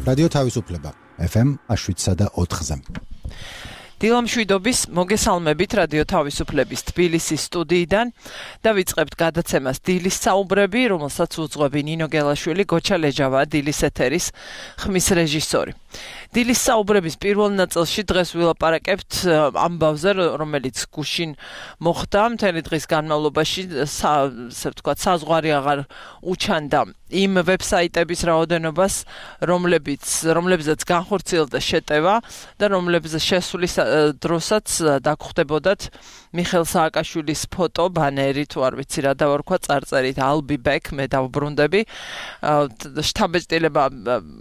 რადიო თავისუფლება FM 107.4-ზე. დილამშვიდობის მოგესალმებით რადიო თავისუფლების თბილისის სტუდიიდან და ვიწყებთ გადაცემას დილის საუბრები, რომელსაც უძღვები ნინო გელაშვილი, გოჩა ლეჯავა, დილის ეთერის ხმის რეჟისორი. დილის საუბრების პირველ ნაწილში დღეს ვილაპარაკებთ ამბავზე, რომელიც გუშინ მოხდა მთელი დღის განმავლობაში, საზღვარი აღარ უჩანდა იმ ვებსაიტების რაოდენობას, რომლებზეც განხორციელდა შეტევა და რომლებზეც შესulis დროსაც დაგხვდებოდათ მიხეილ სააკაშვილის ფოტო, ბანერი, თუ არ ვიცი რა დავარქვა, წარწერით I'll be back, მე დავბრუნდები. შთაბეჭდილება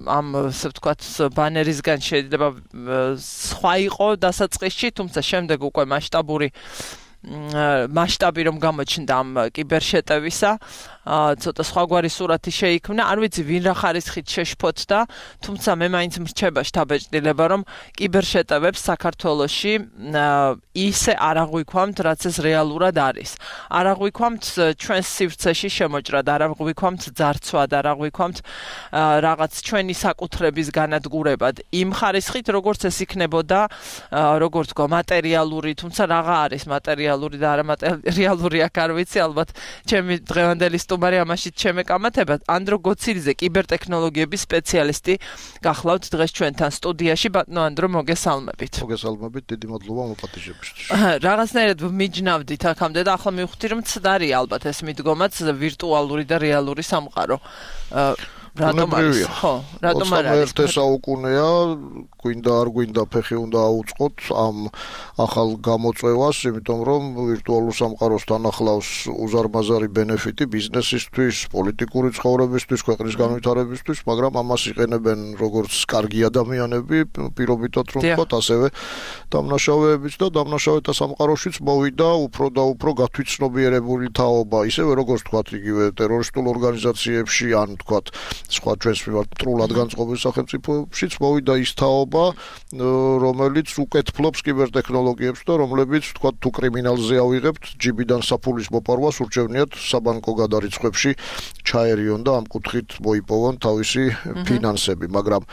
ამ ასე ვთქვათ ბანერისგან შეიძლება სხვა იყო დასაწყისში, თუმცა შემდეგ უკვე მასშტაბი რომ გამოჩნდა ამ კიბერშეტევისა, ცოტა სხვაგვარი სურათი შეიქმნა. არ ვიცი ვინ რა ხარისხით შეშფოთდა, თუმცა მე მაინც მრჩება შთაბეჭდილება, რომ კიბერშეტევებს საქართველოში ისე არ აღვიქვამთ, რაც ეს რეალურად არის. არ აღვიქვამთ ჩვენს სივრცეში შემოჭრად, არ აღვიქვამთ ძარცვად, არ აღვიქვამთ რაღაც ჩვენი საკუთრების განადგურებად. იმ ხარისხით, როგორც ეს იქნებოდა, როგორც თქვა, მატერიალური, თუმცა რაღა არის მატერიალური და არამატერიალური, აქ არ ვიცი, ალბათ ჩემი დღევანდელი სტუმარი ამაშიც შემეკამათება. ანდრო გოცილიძე, კიბერტექნოლოგიების სპეციალისტი, გახლავთ დღეს ჩვენთან სტუდიაში. ბატონო ანდრო, მოგესალმებით. მოგესალმებით, დიდი მადლობა მოპატიჟებისთვის. რაღაცნაირად მიჯნავდით აქამდე და ახლა მივხვდი, რომ ცდარია ალბათ ეს მიდგომაც ვირტუალური და რეალური სამყარო. რატომ არის? ხო, რატომ არ არის? 21 საუკუნეა, გვინდა არ გვინდა ფეხი უნდა აუწყოთ ამ ახალ გამოწვევას, იმიტომ რომ ვირტუალურ სამყაროსთან ახლავს უზარმაზარი ბენეფიტი ბიზნესისთვის, პოლიტიკური ცხოვრებისთვის, ქვეყნის განვითარებისთვის, მაგრამ ამას იყენებენ როგორც კარგი ადამიანები, პირობითად რომ ვთქვათ, ასევე დამნაშავეებიც და დამნაშავეთა სამყაროშიც მოვიდა უფრო და უფრო გათვითცნობიერებული თაობა, ისევე როგორც ვთქვათ, იგივე ტერორისტულ ორგანიზაციებში ან ვთქვათ სხვა ჩვენს მიმართ მტრულად განწყობილ სახელმწიფოებშიც მოვიდა ის თაობა, რომელიც უკეთფლობს კიბერტექნოლოგიებს და რომლებიც ვთქვათ თუ კრიმინალზე ავიღებთ, ჯიბიდან საფულის მოპარვას ურჩევნიათ საბანკო გადარიცხვებში ჩაერიონ და ამ კუთხით მოიპოვონ თავისი ფინანსები, მაგრამ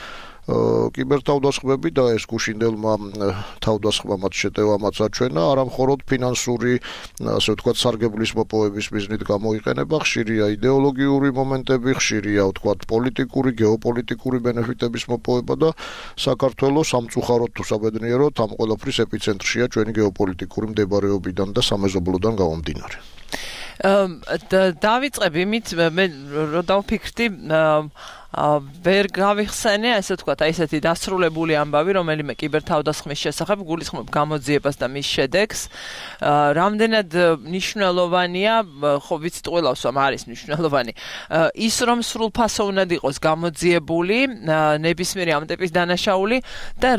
კიბერთავდასხმები და ეს გუშინდელმა თავდასხმამაც შეტევამაც აჩვენა, არა მხოლოდ ფინანსური, ასე ვთქვათ, სარგებლის მოპოვების მიზნით გამოიყენება, ხშირია იდეოლოგიური მომენტები, ხშირია ვთქვათ პოლიტიკური, გეოპოლიტიკური ბენეფიტების მოპოვება და საქართველოს სამწუხაროდ თუ საბედნიეროდ ამ ყველაფრის ეპიცენტრშია ჩვენი გეოპოლიტიკური მდებარეობიდან და სამეზობლოდან გამომდინარე. დავიწყებ იმით, მე რო დავფიქრდი, ვერ გავიხსენე, ასე ვთქვათ, აი ესეთი დასრულებული ამბავი, რომელიმე კიბერთავდასხმის შესახებ გულისხმობ გამოძიებას და მის შედეგს. რამდენად მნიშვნელოვანია, ხო ვიცით ყველავს რომ არის მნიშვნელოვანი, ის რომ სრულფასოვნად იყოს გამოძიებული ნებისმიერი ამ ტიპის დანაშაული და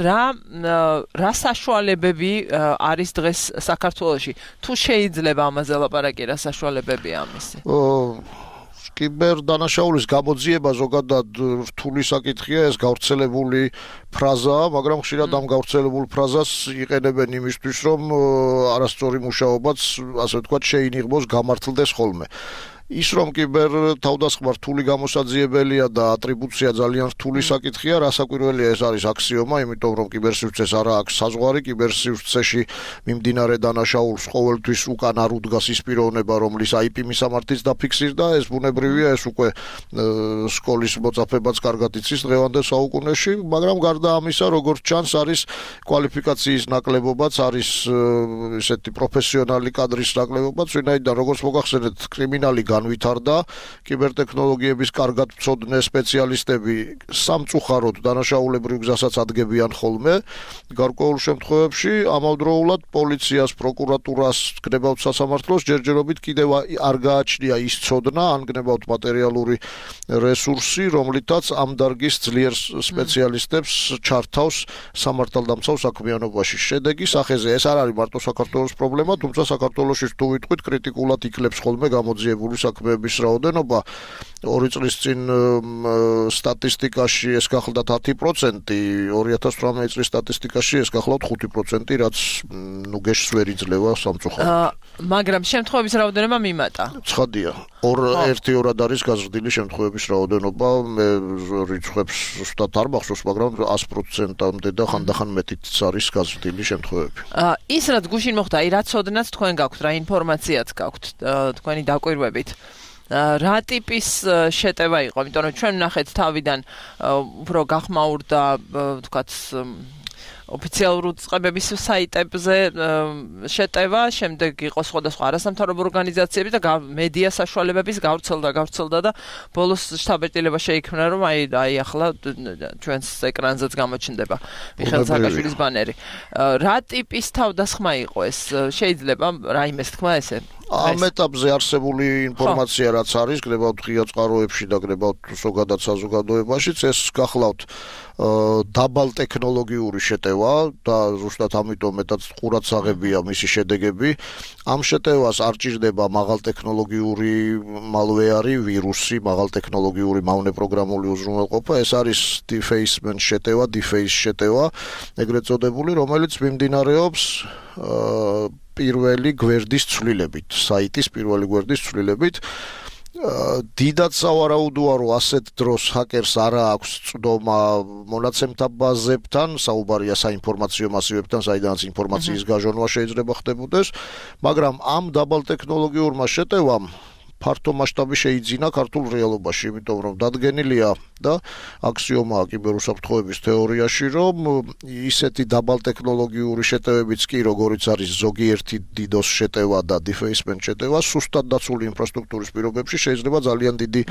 რა საშუალებები არის დღეს საქართველოში. თუ შეიძლება ამაზე ლაპარაკი, რა საშუალებებია ამისი? კიბერდანაშაულის გამოძიება ზოგადად რთული საკითხია, ეს გავრცელებული ფრაზაა, მაგრამ ხშირად ამ გავრცელებულ ფრაზას იყენებენ იმისთვის, რომ არასწორი მუშაობაც, ასე ვთქვათ, შეინიღბოს, გამართლდეს ხოლმე. ის რომ კიბერთავდასხმა რთული გამოსაძიებელია და ატრიბუცია ძალიან რთული საკითხია, რასაკვირველია ეს არის აქსიომა, იმიტომ რომ კიბერსივრცეს არა აქვს საზღვარი, კიბერსივრცეში მიმდინარე დანაშაულს ყოველთვის უკან არ უდგას ის პიროვნება, რომლის IP მისამართიც დაფიქსირდა, ეს ბუნებრივია, ეს უკვე სკოლის მოწაფებაც კარგად იცის დღევანდელ საუკუნეში, მაგრამ გარდა ამისა, როგორც ჩანს, არის კვალიფიკაციის ნაკლებობაც, არის ესეთი პროფესიონალი კადრის ნაკლებობაც, ვინაიდან როგორც მოგახსენეთ, კრიმინალი განვითარდა, კიბერტექნოლოგიების კარგად მცოდნე სპეციალისტები სამწუხაროდ დანაშაულებრივ გზასაც ადგენენ ხოლმე. გარკვეულ შემთხვევებში ამავდროულად პოლიციას, პროკურატურას, გნებავთ სასამართლოს ჯერჯერობით კიდევ არ გააჩნია ის ცოდნა, ან გნებავთ მატერიალური რესურსი, რომლითაც ამ დარგის ძლიერ სპეციალისტებს ჩართავს სამართალდამცავ საქმიანობაში. შედეგი სახეზე ეს არ არის მარტო საქართველოს პრობლემა, თუმცა საქართველოში თუ ვიტყვით კრიტიკულად იკლებს ხოლმე გამოძიებული საქმეების რაოდენობა, 2 წლის წინ სტატისტიკაში ეს გახლდათ 10%, 2018 წლის სტატისტიკაში ეს გახლავთ 5%, რაც გეშს ვერ იძლევა სამწუხაროდ. მაგრამ შემთხვევების რაოდენობა მიმატა. ცხადია. 1-2 არის გაზრდილი შემთხვევების რაოდენობა, მე რიცხვებს ზუსტად არ მახსოვს, მაგრამ 100%-ამდე და ხანდახან მეტიც არის გაზრდილი შემთხვევები. ის რაც გუშინ მოხდა, აი რაც ოდნაც თქვენ გაქვთ, რა ინფორმაციაც გაქვთ თქვენი დაკვირვებით. რა ტიპის შეტევა იყო, იმიტომ რომ ჩვენ ვნახეთ თავიდან უფრო გახმაურდა, თქვათ ოფიციალურ წყებების საიტებზე შეტევა, შემდეგ იყო სხვადასხვა არასამთავრობო ორგანიზაციები და მედია საშუალებების გავრცელდა და ბოლოს შთაბეჭდილება შეიქმნა, რომ აი ახლა ჩვენს ეკრანზეც გამოჩნდება მიხეილ სააკაშვილის ბანერი. რა ტიპის თავდასხმა იყო ეს? შეიძლება რაიმეს თქვა ესე? ამ ეტაპზე არსებული ინფორმაცია რაც არის, გნებავთ ღია წყაროებში და გნებავთ ზოგადად საზოგადოებაშიც, ეს გახლავთ დაბალ ტექნოლოგიური შეტევა და ზუსტად ამიტომ მეტად ყურადსაღებია მისი შედეგები. ამ შეტევას არ ჭირდება მაღალ ტექნოლოგიური malware, ვირუსი, მაღალ ტექნოლოგიური მავნე პროგრამული უზრუნველყოფა. ეს არის defacement შეტევა, deface შეტევა, ეგრეთ წოდებული, რომელიც მიმდინარეობს პირველი გვერდის ცვლილებით, საიტის პირველი გვერდის ცვლილებით. დიდად სავარაუდოა, რომ ასეთ დროს ჰაკერს არა აქვს წვდომა მონაცემთა ბაზებთან, საუბარია საინფორმაციო მასივებთან, საიდანაც ინფორმაციის გაჟონვა შეიძლება ხდებოდეს, მაგრამ ამ დაბალ ტექნოლოგიურმა შეტევამ ფართო მასშტაბი შეიძინა ქართულ რეალობაში, იმიტომ რომ დადგენილია და აქსიომაა კიბერუსაფრთხოების თეორიაში, რომ ისეთი დაბალ ტექნოლოგიური შეტევებიც კი, როგორიც არის ზოგიერთი DDoS შეტევა და defacement შეტევა, სუსტად დაცული ინფრასტრუქტურის პირობებში შეიძლება ძალიან დიდი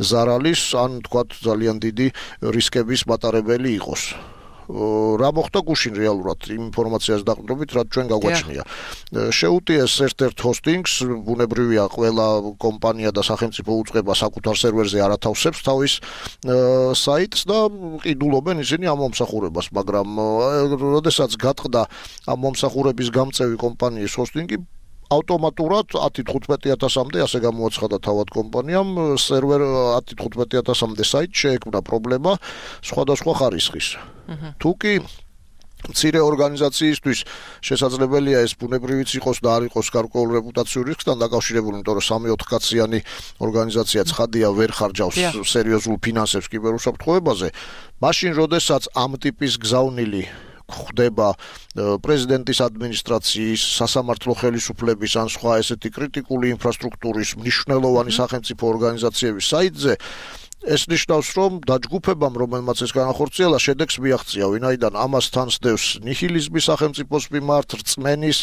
ზარალის, ან თქვათ ძალიან დიდი რისკების მატარებელი იყოს. რა მოხდა გუშინ რეალურად ინფორმაციას დაყრდნობით, რაც ჩვენ გაგვაჩნია. შეუტიეს ერთ-ერთ ჰოსტინგს, ბუნებრივია ყველა კომპანია და სახელმწიფო უწყება საკუთარ სერვერზე არ ათავსებს თავის საიტს და ყიდულობენ ისინი ამ მომსახურებას, მაგრამ როდესაც გატყდა ამ მომსახურების გამწევი კომპანიის ჰოსტინგი, ავტომატურად 10-15,000-მდე ასე გამოაცხადა თავად კომპანიამ, სერვერ 10-15,000-მდე საიტ შეექმნა პრობლემა სხვადასხვა ხარისხის. თუკი მცირე ორგანიზაციისთვის შესაძლებელია ეს ბუნებრივიც იყოს და არ იყოს გარკვეულ რეპუტაციურ რისკთან დაკავშირებული, იმიტომ რომ 3-4 კაციანი ორგანიზაცია ცხადია ვერ ხარჯავს სერიოზულ ფინანსებს კიბერუსაფრთხოებაზე, მაშინ როდესაც ამ ტიპის გზავნილი ხდება პრეზიდენტის ადმინისტრაციის, სასამართლო ხელისუფლების ან სხვა ესეთი კრიტიკული ინფრასტრუქტურის მნიშვნელოვანი სახელმწიფო ორგანიზაციების საიტზე, ეს ნიშნავს, რომ დაჯგუფებამ, რომელმაც ეს განახორციელა, შედეგს მიაღწია, ვინაიდან ამას თან სდევს ნიჰილიზმი სახელმწიფოს მიმართ, რწმენის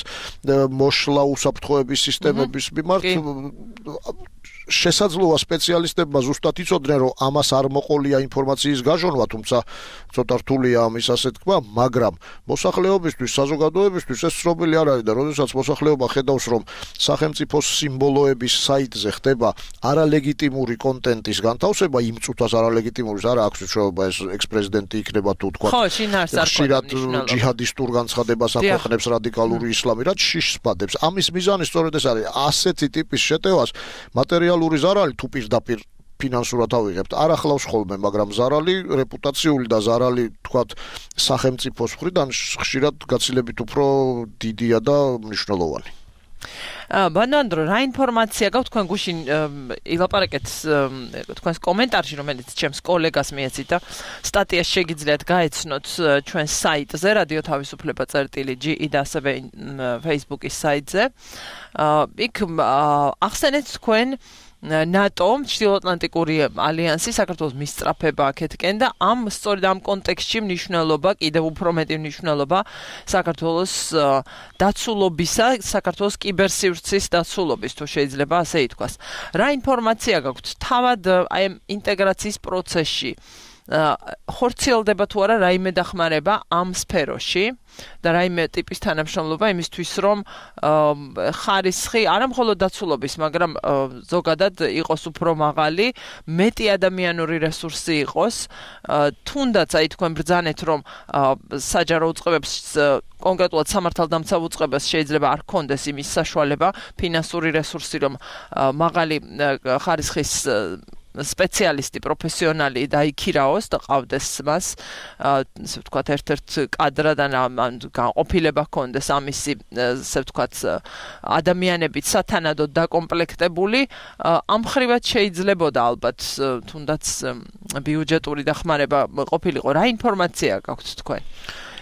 მოშლა უსაფრთხოების სისტემების მიმართ. შესაძლოა სპეციალისტებმა ზუსტად იცოდნენ, რომ ამას არ მოყოლია ინფორმაციის გაჟონვა, თუმცა ცოტა რთულია ამის ასე თქვა, მაგრამ მოსახლეობისთვის, საზოგადოებისთვის ეს ცნობილი არ არის და როდესაც მოსახლეობა ხედავს, რომ სახელმწიფოს სიმბოლოების საიტზე ხდება არალეგიტიმური კონტენტის განთავსება, იმ წუთას არალეგიტიმურის არა აქვს უჩვეულობა, ეს ექს-პრეზიდენტი იქნება თუ თქვა. ხო, შინ არის ხშირად ჯიჰადისტურ განცხადებას აქვეყნებს რადიკალური ისლამი, რაც შიშს პადებს. ამის მიზანი სწორედ ეს არის, ასეთი ტიპის შეტევას მატერიალური ზარალი თუ პირდაპირ ფინანსურად ავიღებთ, არ ახლავს ხოლმე, მაგრამ ზარალი რეპუტაციული და ზარალი, თქვათ, სახელმწიფოს მხრიდან ხშირად გაცილებით უფრო დიდია და მნიშვნელოვანი. ბანანდრო, რა ინფორმაცია გაქვთ თქვენ გუშინ ილაპარაკეთ თქვენს კომენტარში, რომელიც ჩემს კოლეგას მიეცით და სტატიას შეგიძლიათ გაეცნოთ ჩვენს საიტზე, რადიო თავისუფლება წერტილი.ge და ასევე Facebook-ის საიტზე. იქ ახსენეთ თქვენ NATO, ჩრდილოატლანტიკური ალიანსი, საქართველოს მისწრაფება აქეთკენ და სწორედ ამ კონტექსტში მნიშვნელობა, კიდევ უფრო მეტი მნიშვნელობა საქართველოს დაცულობისა, საქართველოს კიბერსივრცის დაცულობის, თუ შეიძლება ასე ითქვას. რა ინფორმაცია გაქვთ თავად აი ინტეგრაციის პროცესში? ხორციელდება თუ არა რაიმე დახმარება ამ სფეროში და რაიმე ტიპის თანამშრომლობა იმისთვის, რომ ხარისხი არა მხოლოდ დაცულობის, მაგრამ ზოგადად იყოს უფრო მაღალი, მეტი ადამიანური რესურსი იყოს, თუნდაც აი თქვენ ბრძანეთ, რომ საჯარო უწყებებს კონკრეტულად სამართალდამცავ უწყებას შეიძლება არ ქონდეს იმის საშუალება, ფინანსური რესურსი, რომ მაღალი ხარისხის სპეციალისტი პროფესიონალი დაიქირაოს და ყავდეს მას ასე ვთქვათ ერთ-ერთ კადრად ან განყოფილება ჰქონდეს ამისი ასე ვთქვათ ადამიანებით სათანადოდ დაკომპლექტებული ამ ხრივად შეიძლებოდა ალბათ თუნდაც ბიუჯეტური დახმარება ყოფილიყო რა ინფორმაცია გაქვთ თქვენ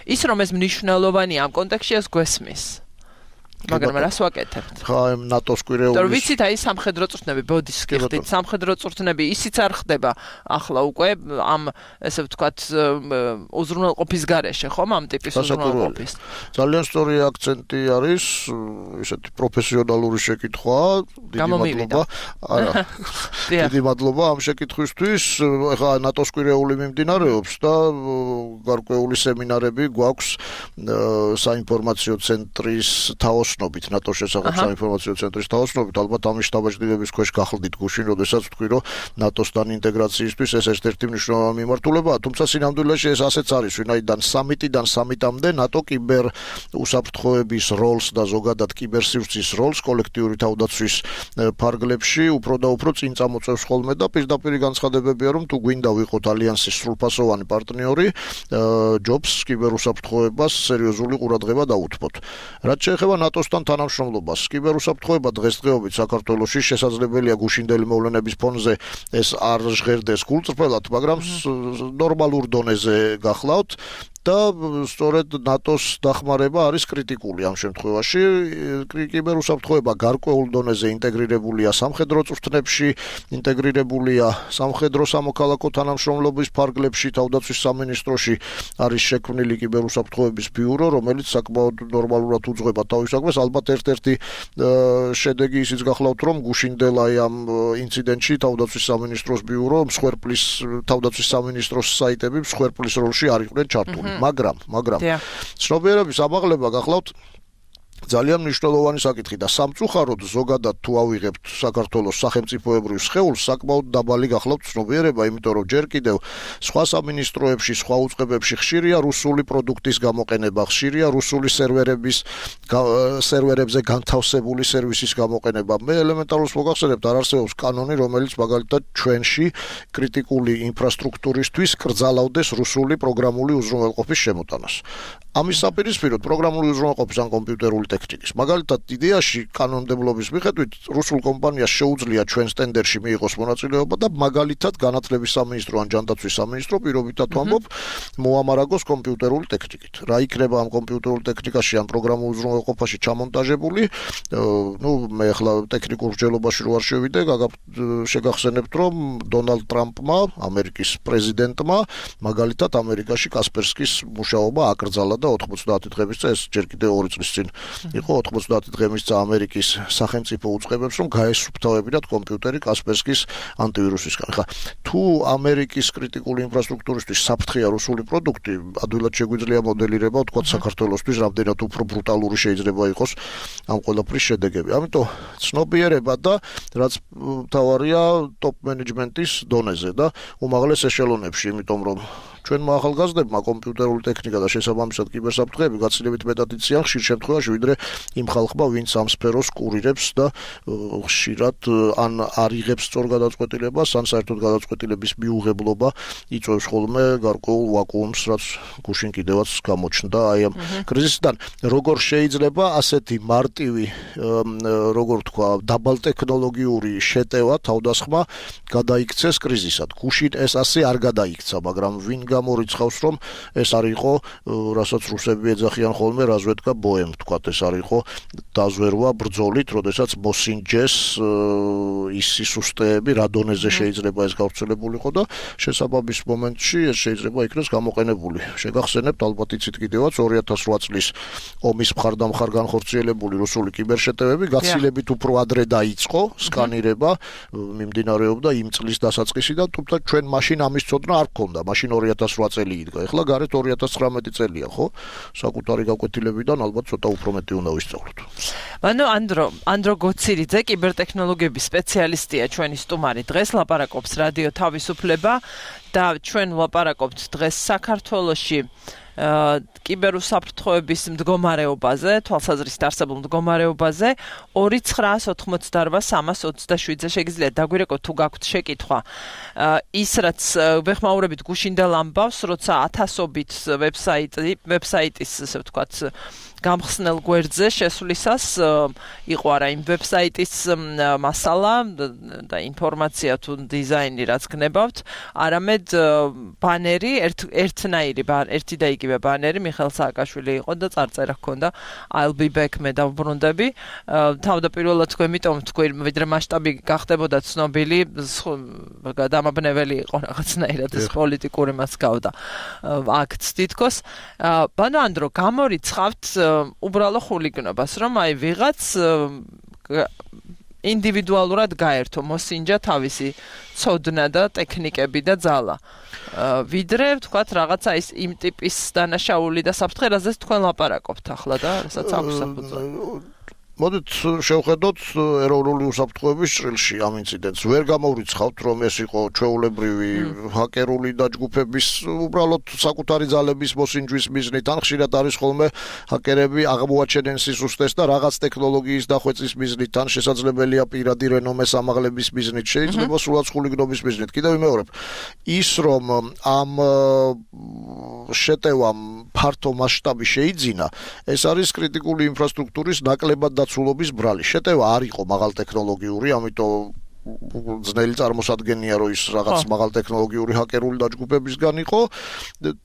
ის რომ ეს მნიშვნელოვანია ამ კონტექსტში ეს გვესმის მაგრამ რას ვაკეთებთ? ხა ამ ნატოს კვირეულის. თორე ვიცით აი სამხედრო წვრთნები, ბოდის გიხდით, სამხედრო წვრთნები ისიც არ ხდება ახლა უკვე ამ ესე ვთქვათ უზრუნველყოფის გარეშე, ხომ ამ ტიპის უზრუნველყოფის. ძალიან სწორი აქცენტი არის, ესეთი პროფესიონალური შეკითხვა, დიდი მადლობა. არა. დიდი მადლობა ამ შეკითხვისთვის. ხა ნატოს კვირეული მიმდინარეობს და გარკვეული სემინარები გვაქვს საინფორმაციო ცენტრის თაოსნობით ნატოს შესახებ საინფორმაციო ცენტრის თაოსნობით ალბათ ამის შტაბ-ჭრილების ქვეშ გახლდით გუშინ, როდესაც ვთქვი, რომ ნატოსთან ინტეგრაციისთვის ეს ერთ-ერთი მნიშვნელოვანი მიმართულებაა, თუმცა სინამდვილეში ეს ასეც არის, ვინაიდან სამიტიდან სამიტამდე ნატო კიბერ უსაფრთხოების როლს და ზოგადად კიბერსივრცის როლს კოლექტიური თავდაცვის ფარგლებში უფრო და უფრო წინ წამოწევს ხოლმე და პირდაპირ განცხადებებია, რომ თუ გვინდა ვიყოთ ალიანსის სრულფასოვანი პარტნიორი, ჯობს კიბერუსაფრთხოებას სერიოზული ყურადღება დაუთმოთ. რაც შეეხება ნატოსთან თანამშრომლობას, კიბერუსაფრთხოება დღესდღეობით საქართველოში შესაძლებელია გუშინდელი მოვლენების ფონზე ეს არ ჟღერდეს გულწრფელად, მაგრამ ნორმალურ დონეზე გახლავთ. და სწორედ ნატოს დახმარება არის კრიტიკული ამ შემთხვევაში. კიბერუსაფრთხოება გარკვეულ დონეზე ინტეგრირებულია სამხედრო წვრთნებში, ინტეგრირებულია სამხედრო სამოქალაქო თანამშრომლობის ფარგლებში, თავდაცვის სამინისტროში არის შექმნილი კიბერუსაფრთხოების ბიურო, რომელიც საკმაოდ ნორმალურად უძღვება თავის საქმეს. ალბათ ერთ-ერთი შედეგი ისიც გახლავთ, რომ გუშინდელ აი ამ ინციდენტში თავდაცვის სამინისტროს ბიურო მსხვერპლის თავდაცვის სამინისტროს საიტები მსხვერპლის როლში არ იყვნენ ჩართული. მაგრამ ცნობიერების ამაღლება გახლავთ ძალიან მნიშვნელოვანი საკითხი და სამწუხაროდ ზოგადად თუ ავიღებთ საქართველოს სახელმწიფოებრივ სხეულს საკმაოდ დაბალი გახლავთ ცნობიერება, იმიტომ რომ ჯერ კიდევ სხვა სამინისტროებში, სხვა უწყებებში ხშირია რუსული პროდუქტის გამოყენება, ხშირია რუსული სერვერებზე განთავსებული სერვისის გამოყენება. მე ელემენტარულად მოგახსენებთ, არ არსებობს კანონი, რომელიც მაგალითად ჩვენში კრიტიკული ინფრასტრუქტურისთვის კრძალავდეს რუსული პროგრამული უზრუნველყოფის შემოტანას. ამის საპირისპიროდ პროგრამული უზრუნველყოფის ან კომპიუტერული ტექნიკის. მაგალითად, იდეაში კანონმდებლობის მიხედვით რუსულ კომპანიას შეუძლია ჩვენს ტენდერში მიიღოს მონაწილეობა და მაგალითად განათლების სამინისტრო ან ჯანდაცვის სამინისტრო პირობითად ვამბობ მოამარაგოს კომპიუტერული ტექნიკით. რა იქნება ამ კომპიუტერულ ტექნიკაში ან პროგრამულ უზრუნველყოფაში ჩამონტაჟებული? მე ახლა ტექნიკურ მსჯელობაში რო არ შევიდე, შეგახსენებთ, რომ დონალდ ტრამპმა, ამერიკის პრეზიდენტმა, მაგალითად ამერიკაში კასპერსკის მუშაობა აკრძალა და 90 დღების წინ, ეს ჯერ კიდევ 2 წლის წინ იყო 90 დღის წინ ამერიკის სახელმწიფო უწყებებს, რომ გაესუფთავებინათ კომპიუტერი კასპერსკის ანტივირუსისგან. ხა თუ ამერიკის კრიტიკული ინფრასტრუქტურისთვის საფრთხეა რუსული პროდუქტი, ადვილად შეგვიძლია მოდელირება, თქვა საქართველოსთვის რამდენად უფრო ბრუტალური შეიძლება იყოს ამ ყველაფრის შედეგები. ამიტომ ცნობიერება და რაც მთავარია ტოპ მენეჯმენტის დონეზე და უმაღლეს ეშელონებში, იმიტომ რომ ჩვენმა ახალგაზრდებმა კომპიუტერული ტექნიკა და შესაბამისად კიბერსაფრთხეები გაცილებით მეტად იციან ხშირ შემთხვევაში, ვიდრე იმ ხალხმა, ვინც ამ სფეროს კურირებს და ხშირად ან არ იღებს სწორ გადაწყვეტილებას, ან საერთოდ გადაწყვეტილების მიუღებლობა იწვევს ხოლმე გარკვეულ ვაკუუმს, რაც გუშინ კიდევაც გამოჩნდა აი ამ კრიზისიდან. როგორ შეიძლება ასეთი მარტივი, როგორ თქვა, დაბალტექნოლოგიური შეტევა, თავდასხმა გადაიქცეს კრიზისად. გუშინ ეს ასე არ გადაიქცა, მაგრამ ვინ გამორიცხავს, რომ ეს არ იყო, რასაც რუსები ეძახიან ხოლმე რაზვედკა ბოემ, თქვათ, ეს არ იყო დაზვერვა ბრძოლით, როდესაც მოსინჯეს ის სისტემები, რა დონეზე შეიძლება ეს გავრცელებულიყო და შესაბამის მომენტში ეს შეიძლება იქნას გამოყენებული. შეგახსენებთ, ალბათ იცით კიდევაც 2008 წლის ომის მხარდამხარ განხორციელებული რუსული კიბერშეტევები გაცილებით უფრო ადრე დაიწყო სკანირება, მიმდინარეობდა იმ წლის დასაწყისიდან, თუმცა ჩვენ მაშინ ამის ცოდნა არ გქონდა. მაშინ 2008 წელი იდგა. ეხლა გარეთ 2019 წელია, ხო? საკუთარი გაკვეთილებიდან ალბათ ცოტა უფრო მეტი უნდა ვისწავლოთ. ანუ ანდრო გოცირიძე, კიბერთექნოლოგიების სპეციალისტია ჩვენი სტუმარი. დღეს ლაპარაკობს რადიო თავისუფლება და ჩვენ ლაპარაკობთ დღეს საქართველოში კიბერუსაფრთხოების მდგომარეობაზე, თვალსაზრისით არსებულ მდგომარეობაზე 2988327-ზე შეგიძლიათ დაგვირეკოთ თუ გაქვთ შეკითხვა. ის რაც ვეხმაურებით გუშინდელ ამბავს, როცა ათასობით ვებსაიტის, ასე ვთქვათ, გამხსნელ გვერდზე შესვლისას იყო არა იმ ვებსაიტის მასალა და ინფორმაცია თუ დიზაინი რაც გნებავთ, არამედ ბანერი, ერთი და იგივე ბანერი მიხეილ სააკაშვილი იყო და წარწერა ჰქონდა I'll be back მე დავბრუნდები. თავდაპირველად თქვენ იმიტომ თქვი, ვიდრე მასშტაბი გახდებოდა ცნობილი, დამაბნეველი იყო რაღაცნაირად ეს პოლიტიკური მასგავდა აქტს თითქოს. ბანო ანდრო, გამორიცხავთ უბრალო ხულიგნობას, რომ აი ვიღაც ინდივიდუალურად გაერთო, მოსინჯა თავისი ცოდნა და ტექნიკები და ძალა. ვიდრე ვთქვათ რაღაცა ის იმ ტიპის დანაშაული და საფრთხე, რაზეც თქვენ ლაპარაკობთ ახლა და რასაც აქვს საფუძველი. მოდით შევხედოთ ეროვნული უსაფრთხოების ჭრილში ამ ინციდენტს. ვერ გამოვრიცხავთ, რომ ეს იყო ჩვეულებრივი ჰაკერული დაჯგუფების უბრალოდ საკუთარი ძალების მოსინჯვის მიზნით, ან ხშირად არის ხოლმე ჰაკერები აღმოაჩენენ სიზუსტეს და რაღაც ტექნოლოგიის დახვეწის მიზნით, ან შესაძლებელია პირადი რენომეს ამაღლების მიზნით, შეიძლება სულაც ხულიგნობის მიზნით. კიდევ ვიმეორებ, ის რომ ამ შეტევამ ფართო მასშტაბი შეიძინა, ეს არის კრიტიკული ინფრასტრუქტურის ნაკლებად დაცულობის ბრალი. შეტევა არ იყო მაღალ ტექნოლოგიური, ამიტომ ძნელი წარმოსადგენია, რომ ის რაღაც მაღალ ტექნოლოგიური ჰაკერული დაჯგუფებისგან იყო,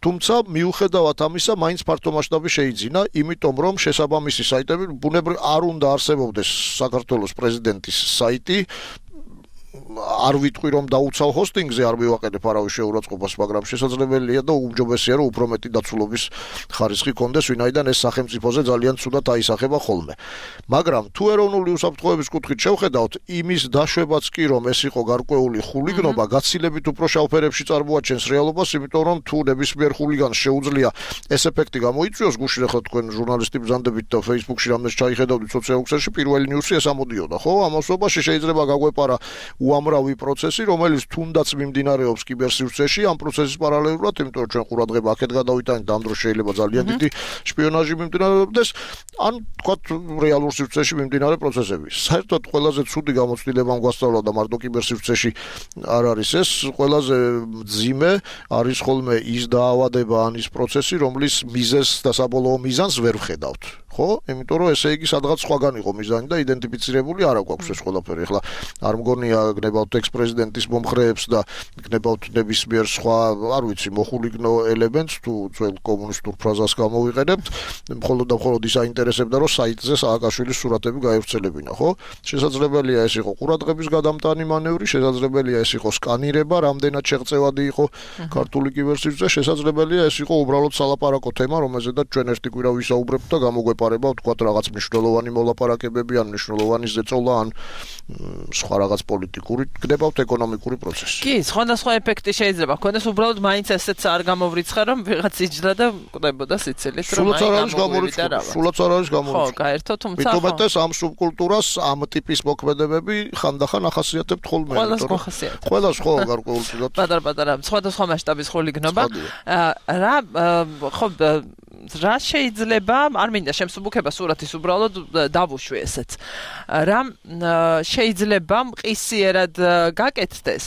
თუმცა მიუხედავად ამისა, მაინც ფართო მასშტაბი შეიძინა, იმიტომ რომ შესაბამისი საიტები ბუნებრივ არ უნდა არსებობდეს საქართველოს პრეზიდენტის საიტი. არ ვიტყვი რომ დაუცავ ჰოსტინგზე, არ მივაყენებ არავის შეურაცხყოფას, მაგრამ შესაძლებელია და უმჯობესია რომ უფრო მეტი დაცულობის ხარისხი კონდეს, ვინაიდან ეს სახელმწიფოზე ძალიან ცუდად აისახება ხოლმე. მაგრამ თუ ეროვნული უსაფრთხოების კუთხით შევხედავთ, იმის დაშვებაც კი რომ ეს იყო გარკვეული ხულიგნობა, გაცილებით უფრო შავფერებში წარმოაჩენს რეალობას, იმიტომ რომ თუ ნებისმიერ ხულიგანს შეუძლია ეს ეფექტი გამოიწვიოს, გუშინ ახლა თქვენ ჟურნალისტი ბრძანდებით და Facebook-ში რამდენს ჩაიხედავდით სოციალურ ქსელში, პირველი ნიუსი ეს ამოდიოდა, ხო? ამასობაში შეიძლება გაგვეპარა უამრავი პროცესი, რომელიც თუნდაც მიმდინარეობს კიბერსივრცეში, ამ პროცესის პარალელურად, იმიტომ რომ ჩვენ ყურადღება აქეთ გადავიტანით, ამ დროს შეიძლება ძალიან დიდი შპიონაჟი მიმდინარეობდეს, ან თქვათ რეალურ სივრცეში მიმდინარე პროცესები. საერთოდ ყველაზე ცუდი გამოცდილება გვასწავლა და მარტო კიბერსივრცეში არ არის ეს, ყველაზე მძიმე არის ხოლმე ის დაავადება ან ის პროცესი, რომლის მიზეზს და საბოლოო მიზანს ვერ ვხედავთ. ხო? იმიტომ რომ ესე იგი სადღაც სხვაგან იყო მიზანი და იდენტიფიცირებული არ აქვს ეს ყველაფერი. ახლა არ მგონია გნებავთ ექს-პრეზიდენტის მომხრეებს და გნებავთ ნებისმიერ სხვა, არ ვიცი, მოხულიგნო ელემენტს თუ ძველ კომუნისტურ ფრაზას გამოვიყენებთ, მხოლოდ და მხოლოდ ის აინტერესებდა, რომ საიტზე სააკაშვილის სურათები გაევრცელებინა, ხო? შესაძლებელია ეს იყო ყურადღების გადამტანი მანევრი, შესაძლებელია ეს იყო სკანირება, რამდენად შეღწევადი იყო ქართული კიბერსივრცე, შესაძლებელია ეს იყო უბრალოდ სალაპარაკო თემა, რომელზედაც ჩვენ ერთი კვირა ვისაუბრებთ და გამოგვეპარება ვთქვათ რაღაც მნიშვნელოვანი მოლაპარაკებები, ან მნიშვნელოვანი ზეწოლა, ან სხვა რაღაც პოლიტიკური, გნებავთ ეკონომიკური პროცესი. კი, სხვადასხვა ეფექტი შეიძლება ჰქონდეს, უბრალოდ მაინც ესეც არ გამოვრიცხა, რომ ვიღაც იჯდა და კვდებოდა სიცილით, რომ სულაც არ არის გამორიცხული. ხო, გაერთო, თუმცა მithumetes ამ სუბკულტურას ამ ტიპის მოქმედებები ხანდახან ახასიათებთ ხოლმე. ყველას ხო გარკვეულწილად. პატარ-პატარა სხვადასხვა მასშტაბის ხულიგნობა. რა შეიძლება, არ მინდა შემსუბუქება სურათის, უბრალოდ დავუშვი ესეც. რა შეიძლება მყისიერად გაკეთდეს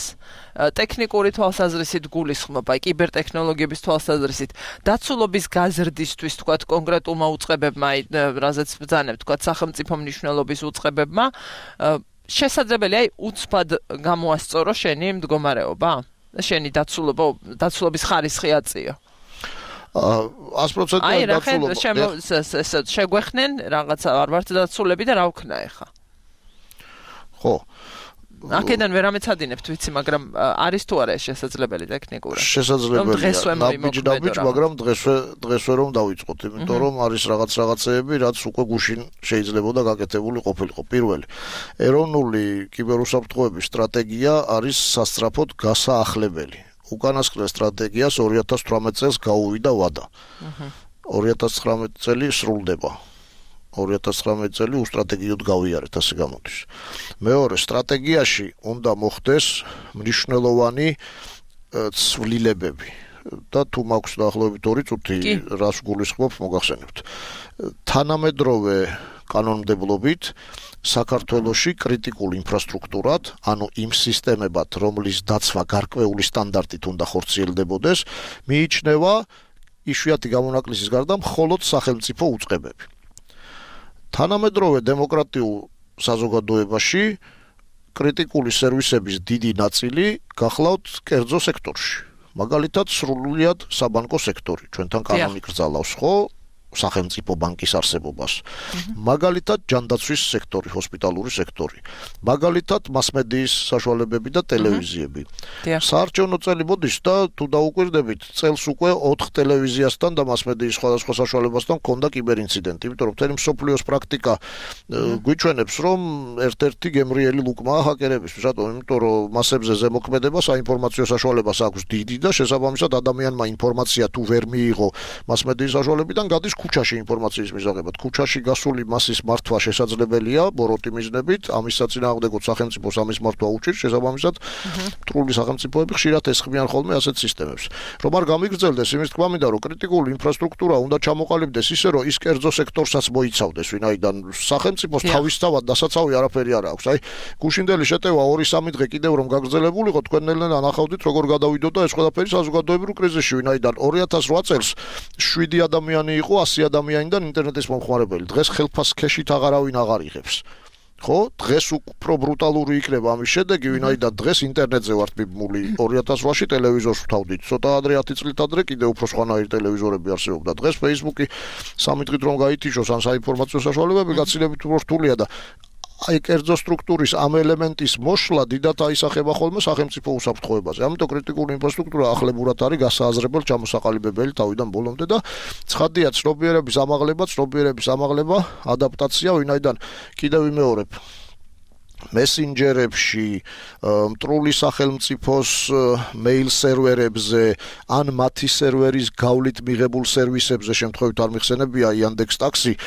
ტექნიკური თვალსაზრისით გულისხმობა, კიბერთექნოლოგიების თვალსაზრისით, დაცულობის გაზრდისთვის, თქვათ, კონკრეტულმა უწყებებმა, რაზეც ბრძანებთ, თქვათ, სახელმწიფო მნიშვნელობის უწყებებმა, შესაძლებელია უცბად გამოასწორო შენი მდგომარეობა, შენი დაცულობის ხარისხი აწიო. 100% დაცულობა. შეგვეხნენ რაღაცა არ ვართ დაცულები და რა ვქნა ახლა? ხო. აქედან ვერ ამეცადინებთ, ვიცი, მაგრამ არის თუ არა ეს შესაძლებელი ტექნიკურად? შესაძლებელია. ნაბიჯ, მაგრამ დღესვე რომ დავიწყოთ, იმიტომ რომ არის რაღაცეები, რაც უკვე გუშინ შეიძლებოდა გაკეთებული ყოფილიყო. პირველი, ეროვნული კიბერუსაფრთხოების სტრატეგია არის სასწრაფოდ გასაახლებელი. უკანასკნელ სტრატეგიას 2018 წელს გაუვიდა ვადა. 2019 წელი სრულდება. 2019 წელი უსტრატეგიოდ გავიარეთ, ასე გამოდის. მეორე, სტრატეგიაში უნდა მოხდეს მნიშვნელოვანი ცვლილებები. და თუ მაქვს დაახლოებით 2 წუთი რას გულისხმობ მოგახსენებთ. თანამედროვე კანონმდებლობით საქართველოში კრიტიკულ ინფრასტრუქტურად, ანუ იმ სისტემებად, რომლის დაცვა გარკვეული სტანდარტით უნდა ხორციელდებოდეს, მიიჩნევა იშვიათი გამონაკლისის გარდა მხოლოდ სახელმწიფო უწყებები. თანამედროვე დემოკრატიულ საზოგადოებაში კრიტიკული სერვისების დიდი ნაწილი გახლავთ კერძო სექტორში. მაგალითად, სრულიად საბანკო სექტორი. ჩვენთან კანონი კრძალავს, ხო? სახელმწიფო ბანკის არსებობას. მაგალითად, ჯანდაცვის სექტორი, ჰოსპიტალური სექტორი. მაგალითად, მასმედიის საშუალებები და ტელევიზიები. საარჩევნო წელი მოდის და თუ დაუკვირდებით, წელს უკვე 4 ტელევიზიასთან და მასმედიის სხვადასხვა საშუალებასთან ჰქონდა კიბერინციდენტი, იმიტომ რომ მთელი მსოფლიოს პრაქტიკა გვიჩვენებს, რომ ერთ-ერთი გემრიელი ლუკმაა ჰაკერებისთვის. რატომ? იმიტომ რომ მასებზე ზემოქმედება საინფორმაციო საშუალებას აქვს დიდი და შესაბამისად ადამიანმა ინფორმაცია თუ ვერ მიიღო მასმედიის საშუალებიდან გადის ქუჩაში ინფორმაციის მისაღებად. ქუჩაში გასული მასის მართვა შესაძლებელია ბოროტი მიზნებით, ამის საწინააღმდეგოდ სახელმწიფოს ამის მართვა უჭირს, შესაბამისად მტრული სახელმწიფოები ხშირად ესხმიან ხოლმე ასეთ სისტემებს. რომ არ გამიგრძელდეს, იმის თქმა მინდა, რომ კრიტიკული ინფრასტრუქტურა უნდა ჩამოყალიბდეს ისე, რომ ის კერძო სექტორსაც მოიცავდეს, ვინაიდან სახელმწიფოს თავისთავად დასაცავი არაფერი არ აქვს. აი, გუშინდელი შეტევა 2-3 დღე კიდევ რომ გაგრძელებულიყო, თქვენ ნელ-ნელა ნახავდით, როგორ გადავიდოდა ეს ყველაფერი საზოგადოებრივ კრიზისში, ვინაიდან 2008 წელს 7 ადამიანი იყო 100 ადამიანიდან ინტერნეტის მომხმარებელი. დღეს ხელფას ქეშით აღარავინ აღარ იღებს. ხო? დღეს უფრო ბრუტალური იქნება ამის შედეგი, ვინაიდან დღეს ინტერნეტზე ვართ მიბმული. 2008-ში ტელევიზორს ვთავდით. ცოტა ადრე 10 წლით ადრე კიდევ უფრო სხვანაირი ტელევიზორები არსებობდა. დღეს Facebook-ი 3 დღით რომ გაითიშოს ან საინფორმაციო საშუალებები გაცილებით უფრო რთულია და აი კერძო სტრუქტურის ამ ელემენტის მოსვლა დიდად აისახება ხოლმე სახელმწიფო უსაფრთხოებაზე. ამიტომ კრიტიკული ინფრასტრუქტურა ახლებურად არის გასააზრებელ ჩამოსაყალიბებელი თავიდან ბოლომდე და ცხადია ცნობიერების ამაღლება, ადაპტაცია, ვინაიდან კიდევ ვიმეორებ მესენჯერებში, მტრული სახელმწიფოს მეილ სერვერებზე, ან მათი სერვერის გავლით მიღებულ სერვისებზე, შემთხვევით არ მიხსენებია Yandex Taxi,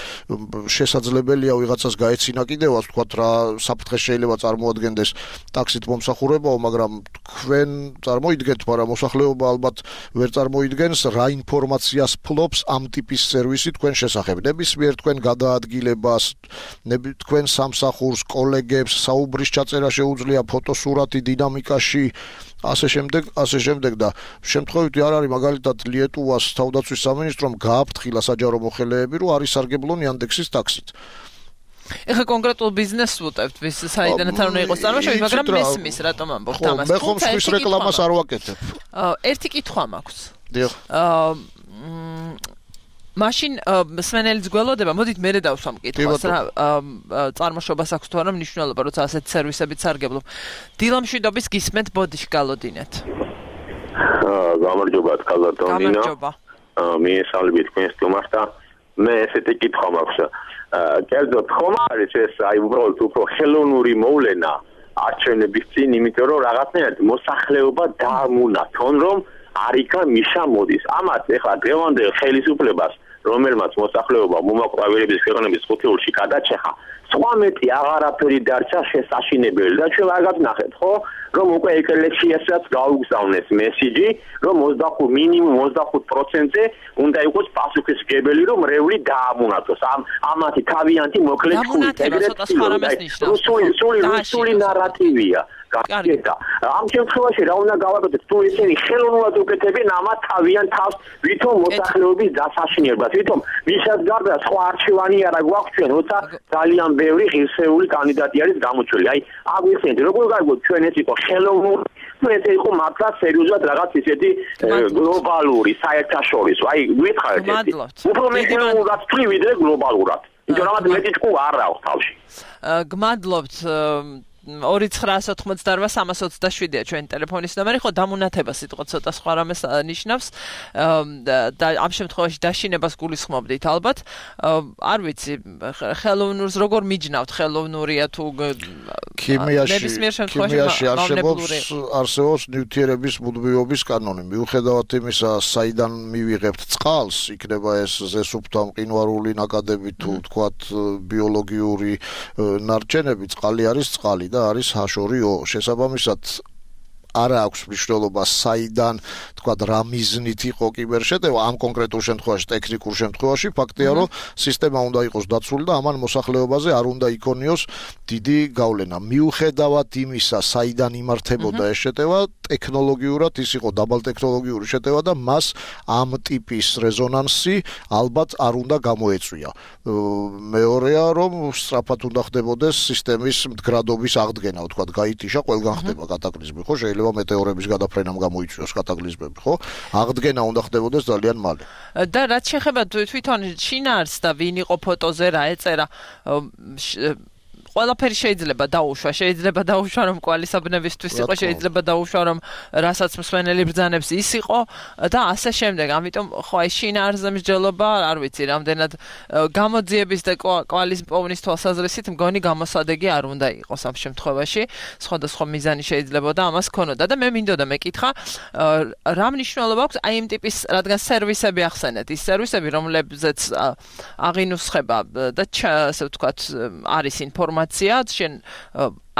შესაძლებელია ვიღაცას გაეცინა კიდევაც, თქვათ რა საფრთხე შეიძლება წარმოადგენდეს ტაქსით მომსახურებაო, მაგრამ თქვენ წარმოიდგენთ, მაგრამ მოსახლეობა ალბათ ვერ წარმოიდგენს, რა ინფორმაციას ფლობს ამ ტიპის სერვისი თქვენ შესახებ. ნებისმიერ თქვენ გადაადგილებას, თქვენ სამსახურს, კოლეგებს საუბრის ჩაწერა შეუძლია ფოტოსურათი დინამიკაში, ასე შემდეგ და შემთხვევითი არ არის მაგალითად ლიეტუვას თავდაცვის სამინისტრომ გააფრთხილა საჯარო მოხელეები, რომ არის სარგებლონ Yandex-ის ტაქსით. ეხა კონკრეტულ ბიზნესს ვუტევთ, ვის საიდანაც არ უნდა იყოს წარმოშობით, მაგრამ მესმის რატომ ამბობთ ამას? მე ხომ სხვის რეკლამას არ ვაკეთებ. ერთი კითხვა მაქვს. დიახ. მაშინ სვენელიც გველოდება, მოდით მე დავსვამ კითხვას რა წარმოშობას აქვს თუ არა მნიშვნელობა, როცა ასეთ სერვისებით სარგებლობ. დილამშვიდობის გისმენთ ბოდიში გალოდინეთ. გამარჯობა კალატონინა. გამარჯობა. მიესალმებით თქვენს სტუმარს და მე ესეთი კითხვა მაქვს. კერძოდ ხომ არის ეს აი უბრალოდ უფრო ხელოვნური მოვლენა არჩევნების წინ, იმიტომ რომ რაღაცნაირად მოსახლეობა დაამუნათონ, რომ არიქა მიშა მოდის. ამათ ეხლა დღევანდელ ხელისუფლებას, რომელმაც მოსახლეობა მომაკვავილების ქვეყნების ხუთეულში გადაჭეხა, სხვა მეტი აღარაფერი დარჩა შესაშინებელი და ჩვენ არ გაგნახეთ, ხო? რომ უკვე ეკლესიასაც გაუგზავნეს მესიჯი, რომ მინიმუმ 25%-ზე უნდა იყოს პასუხისმგებელი, რომ რეული დაამონათოს. ამათი თავიანთი მოკლეწული რუსული ნარატივია. გაკეთდა. ამ შემთხვევაში რა უნდა გავაკეთოთ? თუ ესენი ხელოვნურად უკეთებენ ამათ თავიან თავს, ვითომ მოსახლეობის დასაშინებლად, ვითომ ვისაც გარდა სხვა არჩევანი არა გვაქვს ჩვენ, როცა ძალიან ბევრი ღირსეული კანდიდატი არის გამოჩველი. აი, აგვიხსენეთ, როგორ გაიგოთ ჩვენ ეს იყო ხელოვნური, ეს იყო მართლა სერიოზულად რაღაც ისეთი გლობალური, საერთაშორისო. აი, გითხარით ეს. უფრო ხელოვნურად თქვი ვიდრე გლობალურად. იმიტომ რომ მეტი ჭკუა არ აქვს თავში. გმადლობთ 2988327-ია ჩვენი ტელეფონის ნომერი, ხო დამუნათება სიტყვა ცოტა სხვა რამეს ნიშნავს და ამ შემთხვევაში დაშინებას გულისხმობდით ალბათ. არ ვიცი, ხელოვნურს როგორ მიჯნავთ, ხელოვნურია თუ ქიმიაში არსებობს ნივთიერების მუდმივობის კანონი. მიუხედავად იმისა, საიდან მივიღებთ წყალს, იქნება ეს ზესუფთა მყინვარული ნაკადები თუ თქვათ ბიოლოგიური ნარჩენები, წყალი არის წყალი და არის ჰაშორიო. შესაბამისად არ აქვს მნიშვნელობა საიდან თქვა რა მიზნით იყო კიბერშეტევა ამ კონკრეტულ შემთხვევაში ტექნიკურ შემთხვევაში ფაქტია რომ სისტემა უნდა იყოს დაცული და ამან მოსახლეობაზე არ უნდა იქონიოს დიდი გავლენა მიუხედავად იმისა საიდან იმართებოდა ეს შეტევა ტექნოლოგიურად ის იყო დაბალტექნოლოგიური შეტევა და მას ამ ტიპის რეზონანსი ალბათ არ უნდა გამოეწვია მეორეა რომ სწრაფად უნდა ხდებოდეს სისტემის მდგრადობის აღდგენა თქვა გაითიშა ყველგან ხდება კატაკლიზმი ხო შეიძლება მეტეორების გადაფრენამ გამოიწვიოს კატაკლიზმები ხო აღდგენა უნდა ხდებოდეს ძალიან მალე და რაც შეეხება თვითონ შინაარსს და ვინ იყო ფოტოზე რა ეწერა ყველაფერი შეიძლება დაუშვა რომ კვალისაბნებისთვის იყო შეიძლება დაუშვა რომ რასაც მსვენელი ბრძანებს ის იყო და ასე შემდეგ ამიტომ ხო აი შინაარსზე მსჯელობა არ ვიცი რამდენად გამოძიების და კვალის პოვნის თვალსაზრისით მგონი გამოსადეგი არ უნდა იყოს ამ შემთხვევაში სხვადასხვა მიზანი შეიძლება და ამას ქონოდა და მე მინდოდა მეკითხა რა მნიშვნელობა აქვს აი იმ ტიპის რადგან სერვისები ახსენეთ ის სერვისები რომლებზეც აღინუსხება და ასე ვთქვათ არის ინფორმაცია შენ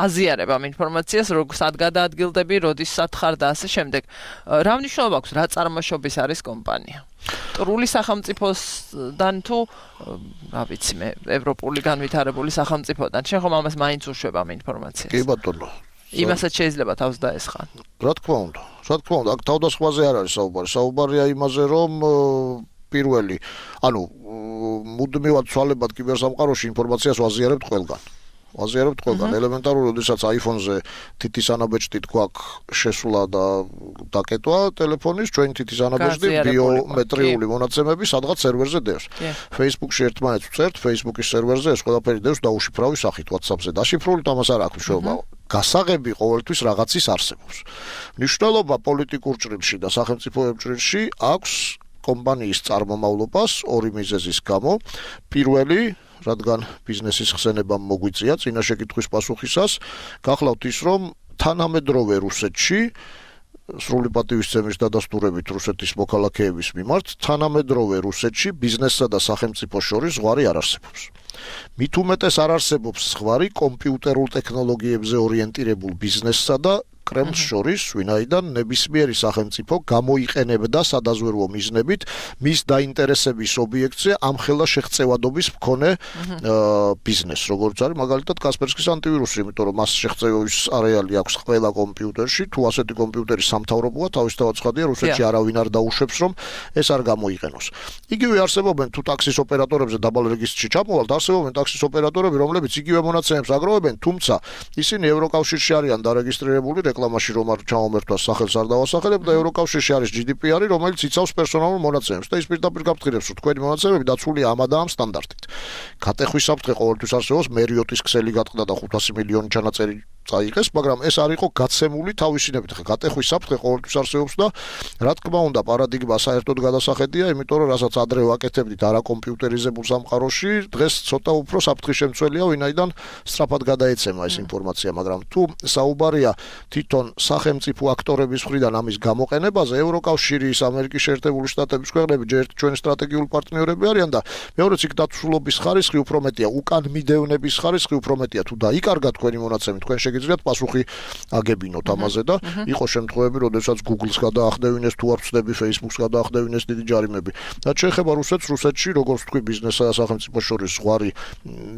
აზიარებ ამ ინფორმაციას სად გადაადგილდები როდის სათხარ და ასე შემდეგ რა მნიშვნელობა აქვს რა წარმოშობის არის კომპანია ტრული სახელმწიფოსთან თუ რა ვიცი მე ევროპული განვითარებული სახელმწიფოდან შენ ხომ ამას მაინც უშვებ ამ ინფორმაციას კი ბატონო იმასაც შეიძლება თავს დაესხან რა თქმა უნდა აქ თავდასხმაზე არ არის საუბარია იმაზე რომ პირველი ანუ მუდმივად ცვალებად კიბერსამყაროში ინფორმაციას ვაზიარებთ ყველგან ელემენტარული როდესაც iPhone-ზე თითის ანაბეჭდით გვაქვს შესვლა და დაკეტვა ტელეფონის ჩვენ თითის ანაბეჭდი ბიომეტრიული მონაცემები სადღაც სერვერზე დევს Facebook-ში ერთმანეთს ვწერთ Facebook-ის სერვერზე ეს ყველაფერი დევს დაუშიფრავი სახით WhatsApp-ზე დაშიფრული თამას არ აქვს მნიშვნელობა გასაღები ყოველთვის რაღაცის არსებობს მნიშვნელობა პოლიტიკურ ჭრილში და სახელმწიფო ჭრილში აქვს კომპანიის წარმომავლობას ორი მიზეზის გამო პირველი რადგან ბიზნესის ხსენებამ მოგვიწია წინა შეკითხვის პასუხისას გახლავთ ის რომ თანამედროვე რუსეთში სრული პატივისცემის დადასტურებით რუსეთის მოქალაქეების მიმართ თანამედროვე რუსეთში ბიზნესსა და სახელმწიფოს შორის ზღვარი არ არსებობს მით უმეტეს არ არსებობს ზღვარი კომპიუტერულ ტექნოლოგიებზე ორიენტირებულ ბიზნესსა და კრემლს შორის, ვინაიდან ნებისმიერი სახელმწიფო გამოიყენებდა სადაზვერვო მიზნებით მის დაინტერესების ობიექტზე ამხელა შეღწევადობის მქონე ბიზნესს, როგორც არის მაგალითად კასპერსკის ანტივირუსი, იმიტომ რომ მას შეღწევის არეალი აქვს ყველა კომპიუტერში, თუ ასეთი კომპიუტერი სამთავრობოა, თავისთავად ცხადია, რუსეთში არავინ არ დაუშვებს, რომ ეს არ გამოიყენოს. იგივე არსებობენ თუ ტაქსის ოპერატორებზე დაბალ რეგისტრში ჩამოვალთ, არსებობენ ტაქსის ოპერატორები, რომლებიც იგივე მონაცემებს აგროვებენ, თუმცა ისინი ევროკავშირში არიან დარეგისტრირებული რეკლამაში რომ არ ჩამომერთვას სახელს არ დავასახელებ და ევროკავშირში არის GDPR, რომელიც იცავს პერსონალურ მონაცემებს და ის პირდაპირ გაფრთხილებს, რომ თქვენი მონაცემები დაცულია ამ და ამ სტანდარტით. Კატეხვის საფრთხე ყოველთვის არსებობს, მერიოტის ქსელი გატყდა და 500 მილიონი ჩანაწერი წაიღეს, მაგრამ ეს არ იყო გაცემული თავისინებით. ხა კატეხვის საფრთხე ყოველთვის არსებობს და რა თქმა უნდა, პარადიგმა საერთოდ გადასახედია, იმიტომ რომ რასაც ადრე ვაკეთებდით არა კომპიუტერიზებულ სამყაროში, დღეს ცოტა უფრო საფრთხის შემცველია, ვინაიდან სწრაფად გადაეცემა ეს ინფორმაცია, მაგრამ თუ საუბარია თვითონ სახელმწიფო აქტორების მხრიდან ამის გამოყენებაზე, ევროკავშირის, ამერიკის შეერთებული შტატების ქვეყნები ჯერ ჩვენი სტრატეგიული პარტნიორები არიან და მეორეც იქ დაცულობის ხარისხი უფრო მეტია, უკან მიდევნების ხარისხი უფრო მეტია, თუ დაიკარგა თქვენი მონაცემი, თქვენ შეგიძლიათ პასუხი აგებინოთ ამაზე და იყო შემთხვევები, როდესაც Google-ს გადაახდევინეს, თუ არ ვწდები, Facebook-ს გადაახდევინეს დიდი ჯარიმები. რაც შეეხება რუსეთში, როგორც თქვი, ბიზნესსა და სახელმწიფოს შორის ზღვარი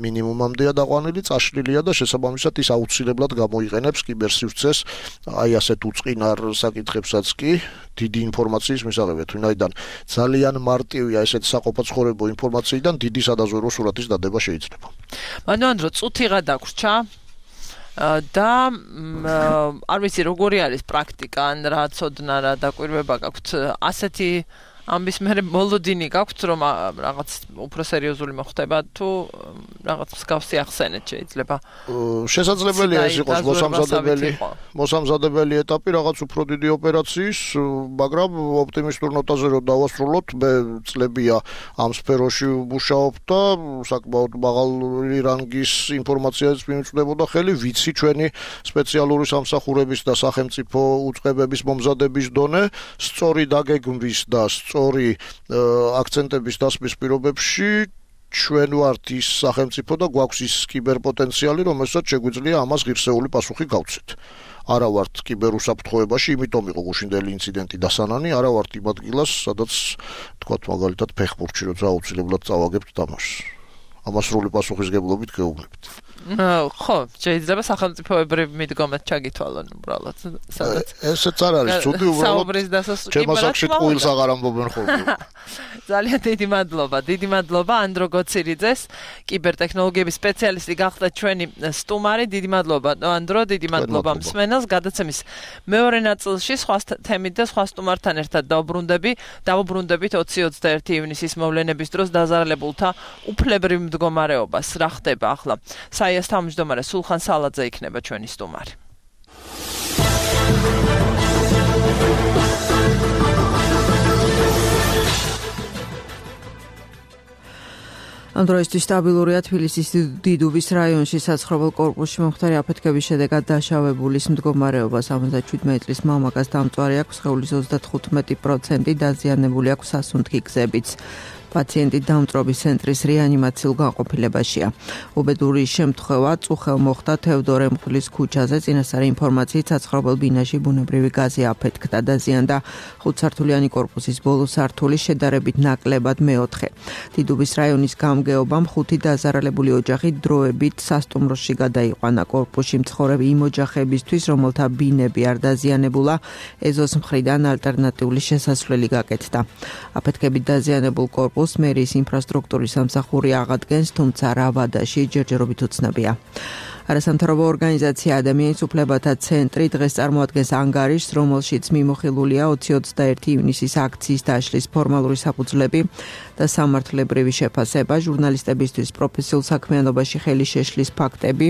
მინიმუმამდეა დაყვანილი, წაშლილია და შესაბამისად ის აუცილებლად გამოიყენებს კიბერსივრცეს აი ასეთ უწყინარ საკითხებსაც კი დიდი ინფორმაციის მისაღებად, ვინაიდან ძალიან მარტივია ესეთ საყოფაცხოვრებო ინფორმაციიდან დიდი სადაზვერვო სურათის დადება შეიძლება. მანამდე წუთიღა დაგვრჩა და არ ვიცი როგორი არის პრაქტიკა, ან რა ცოდნა რა დაკვირვება გაქვთ ასეთი ამის მერე მოლოდინი გაქვთ, რომ რაღაც უფრო სერიოზული მოხდება თუ რაღაც მსგავსი ახსენეთ შეიძლება. შესაძლებელია ეს იყოს მოსამზადებელი ეტაპი რაღაც უფრო დიდი ოპერაციის, მაგრამ ოპტიმისტურ ნოტაზე რომ დავასრულოთ, მე წლებია ამ სფეროში ვმუშაობ და საკმაოდ მაღალი რანგის ინფორმაციას მიმწვდებოდა ხელი, ვიცი ჩვენი სპეციალური სამსახურების და სახელმწიფო უწყებების მომზადების დონე, სწორი დაგეგმვის და სწორი აქცენტების დასმის პირობებში ჩვენ ვართ ის სახელმწიფო და გვაქვს ის კიბერპოტენციალი, რომელსაც შეგვიძლია ამას ღირსეული პასუხი გავცეთ. არა ვართ კიბერუსაფრთხოებაში, იმიტომ იყო გუშინდელი ინციდენტი დასანანი, არა ვართ იმ ადგილას, სადაც თქვათ მაგალითად ფეხბურთში როცა აუცილებლად წავაგებთ თამაშს. ამას სრული პასუხისგებლობით გეუბნებით. ხო, შეიძლება სახელმწიფოებრივი მიდგომაც ჩაგითვალონ უბრალოდ, სადაც ესეც არ არის ცუდი უბრალოდ. საუბრის დასასრულს ჩემასაკში ტყუილს აღარ ამბობენ ხოლმე. ძალიან დიდი მადლობა ანდრო გოცირიძეს, კიბერთექნოლოგიების სპეციალისტი გახდა ჩვენი სტუმარი. დიდი მადლობა ანდრო, დიდი მადლობა მსმენელს. გადაცემის მეორე ნაწილში სხვა თემით და სხვა სტუმართან ერთად დავუბრუნდებით 20-21 ივნისის მოვლენების დროს დაზარალებულთა უფლებრივ მდგომარეობას. რა ხდება ახლა? საიას თავმჯდომარე სულხან სალაძე იქნება ჩვენი სტუმარი. ამ დროისთვის სტაბილურია თბილისის დიდუბის რაიონში საცხოვრებელ კორპუსში მომხდარი აფეთქების შედეგად დაშავებულის მდგომარეობა. 77 წლის მამაკაც დამწვარი აქვს, სხეულის 35% დაზიანებული აქვს სასუნთქი გზებიც. პაციენტი დამწვრობის ცენტრის რეანიმაციულ განყოფილებაშია. უბედური შემთხვევა წუხელ მოხდა თევდორე მღვდლის ქუჩაზე. წინასწარი ინფორმაციით საცხოვრებელ ბინაში ბუნებრივი გაზი აფეთქდა, დაზიანდა 5-სართულიანი კორპუსის ბოლო სართული, შედარებით ნაკლებად მეოთხე. დიდუბის რაიონის გამგეობამ 5 დაზარალებული ოჯახი დროებით სასტუმროში გადაიყვანა. კორპუსში მცხოვრები იმ ოჯახებისთვის, რომელთა ბინები არ დაზიანებულა, ეზოს მხრიდან ალტერნატიული შესასვლელი გაკეთდა. აფეთქებით დაზიანებულ კორპუსს მერის ინფრასტრუქტურის სამსახური აღადგენს, თუმცა რა ვადაში ჯერჯერობით უცნობია. არასამთავრობო ორგანიზაცია ადამიანის უფლებათა ცენტრი დღეს წარმოადგენს ანგარიშს, რომელშიც მიმოხილულია 20-21 ივნისის აქციის დაშლის ფორმალური საფუძვლები და სამართლებრივი შეფასება, ჟურნალისტებისთვის პროფესიულ საქმიანობაში ხელი შეშლის ფაქტები,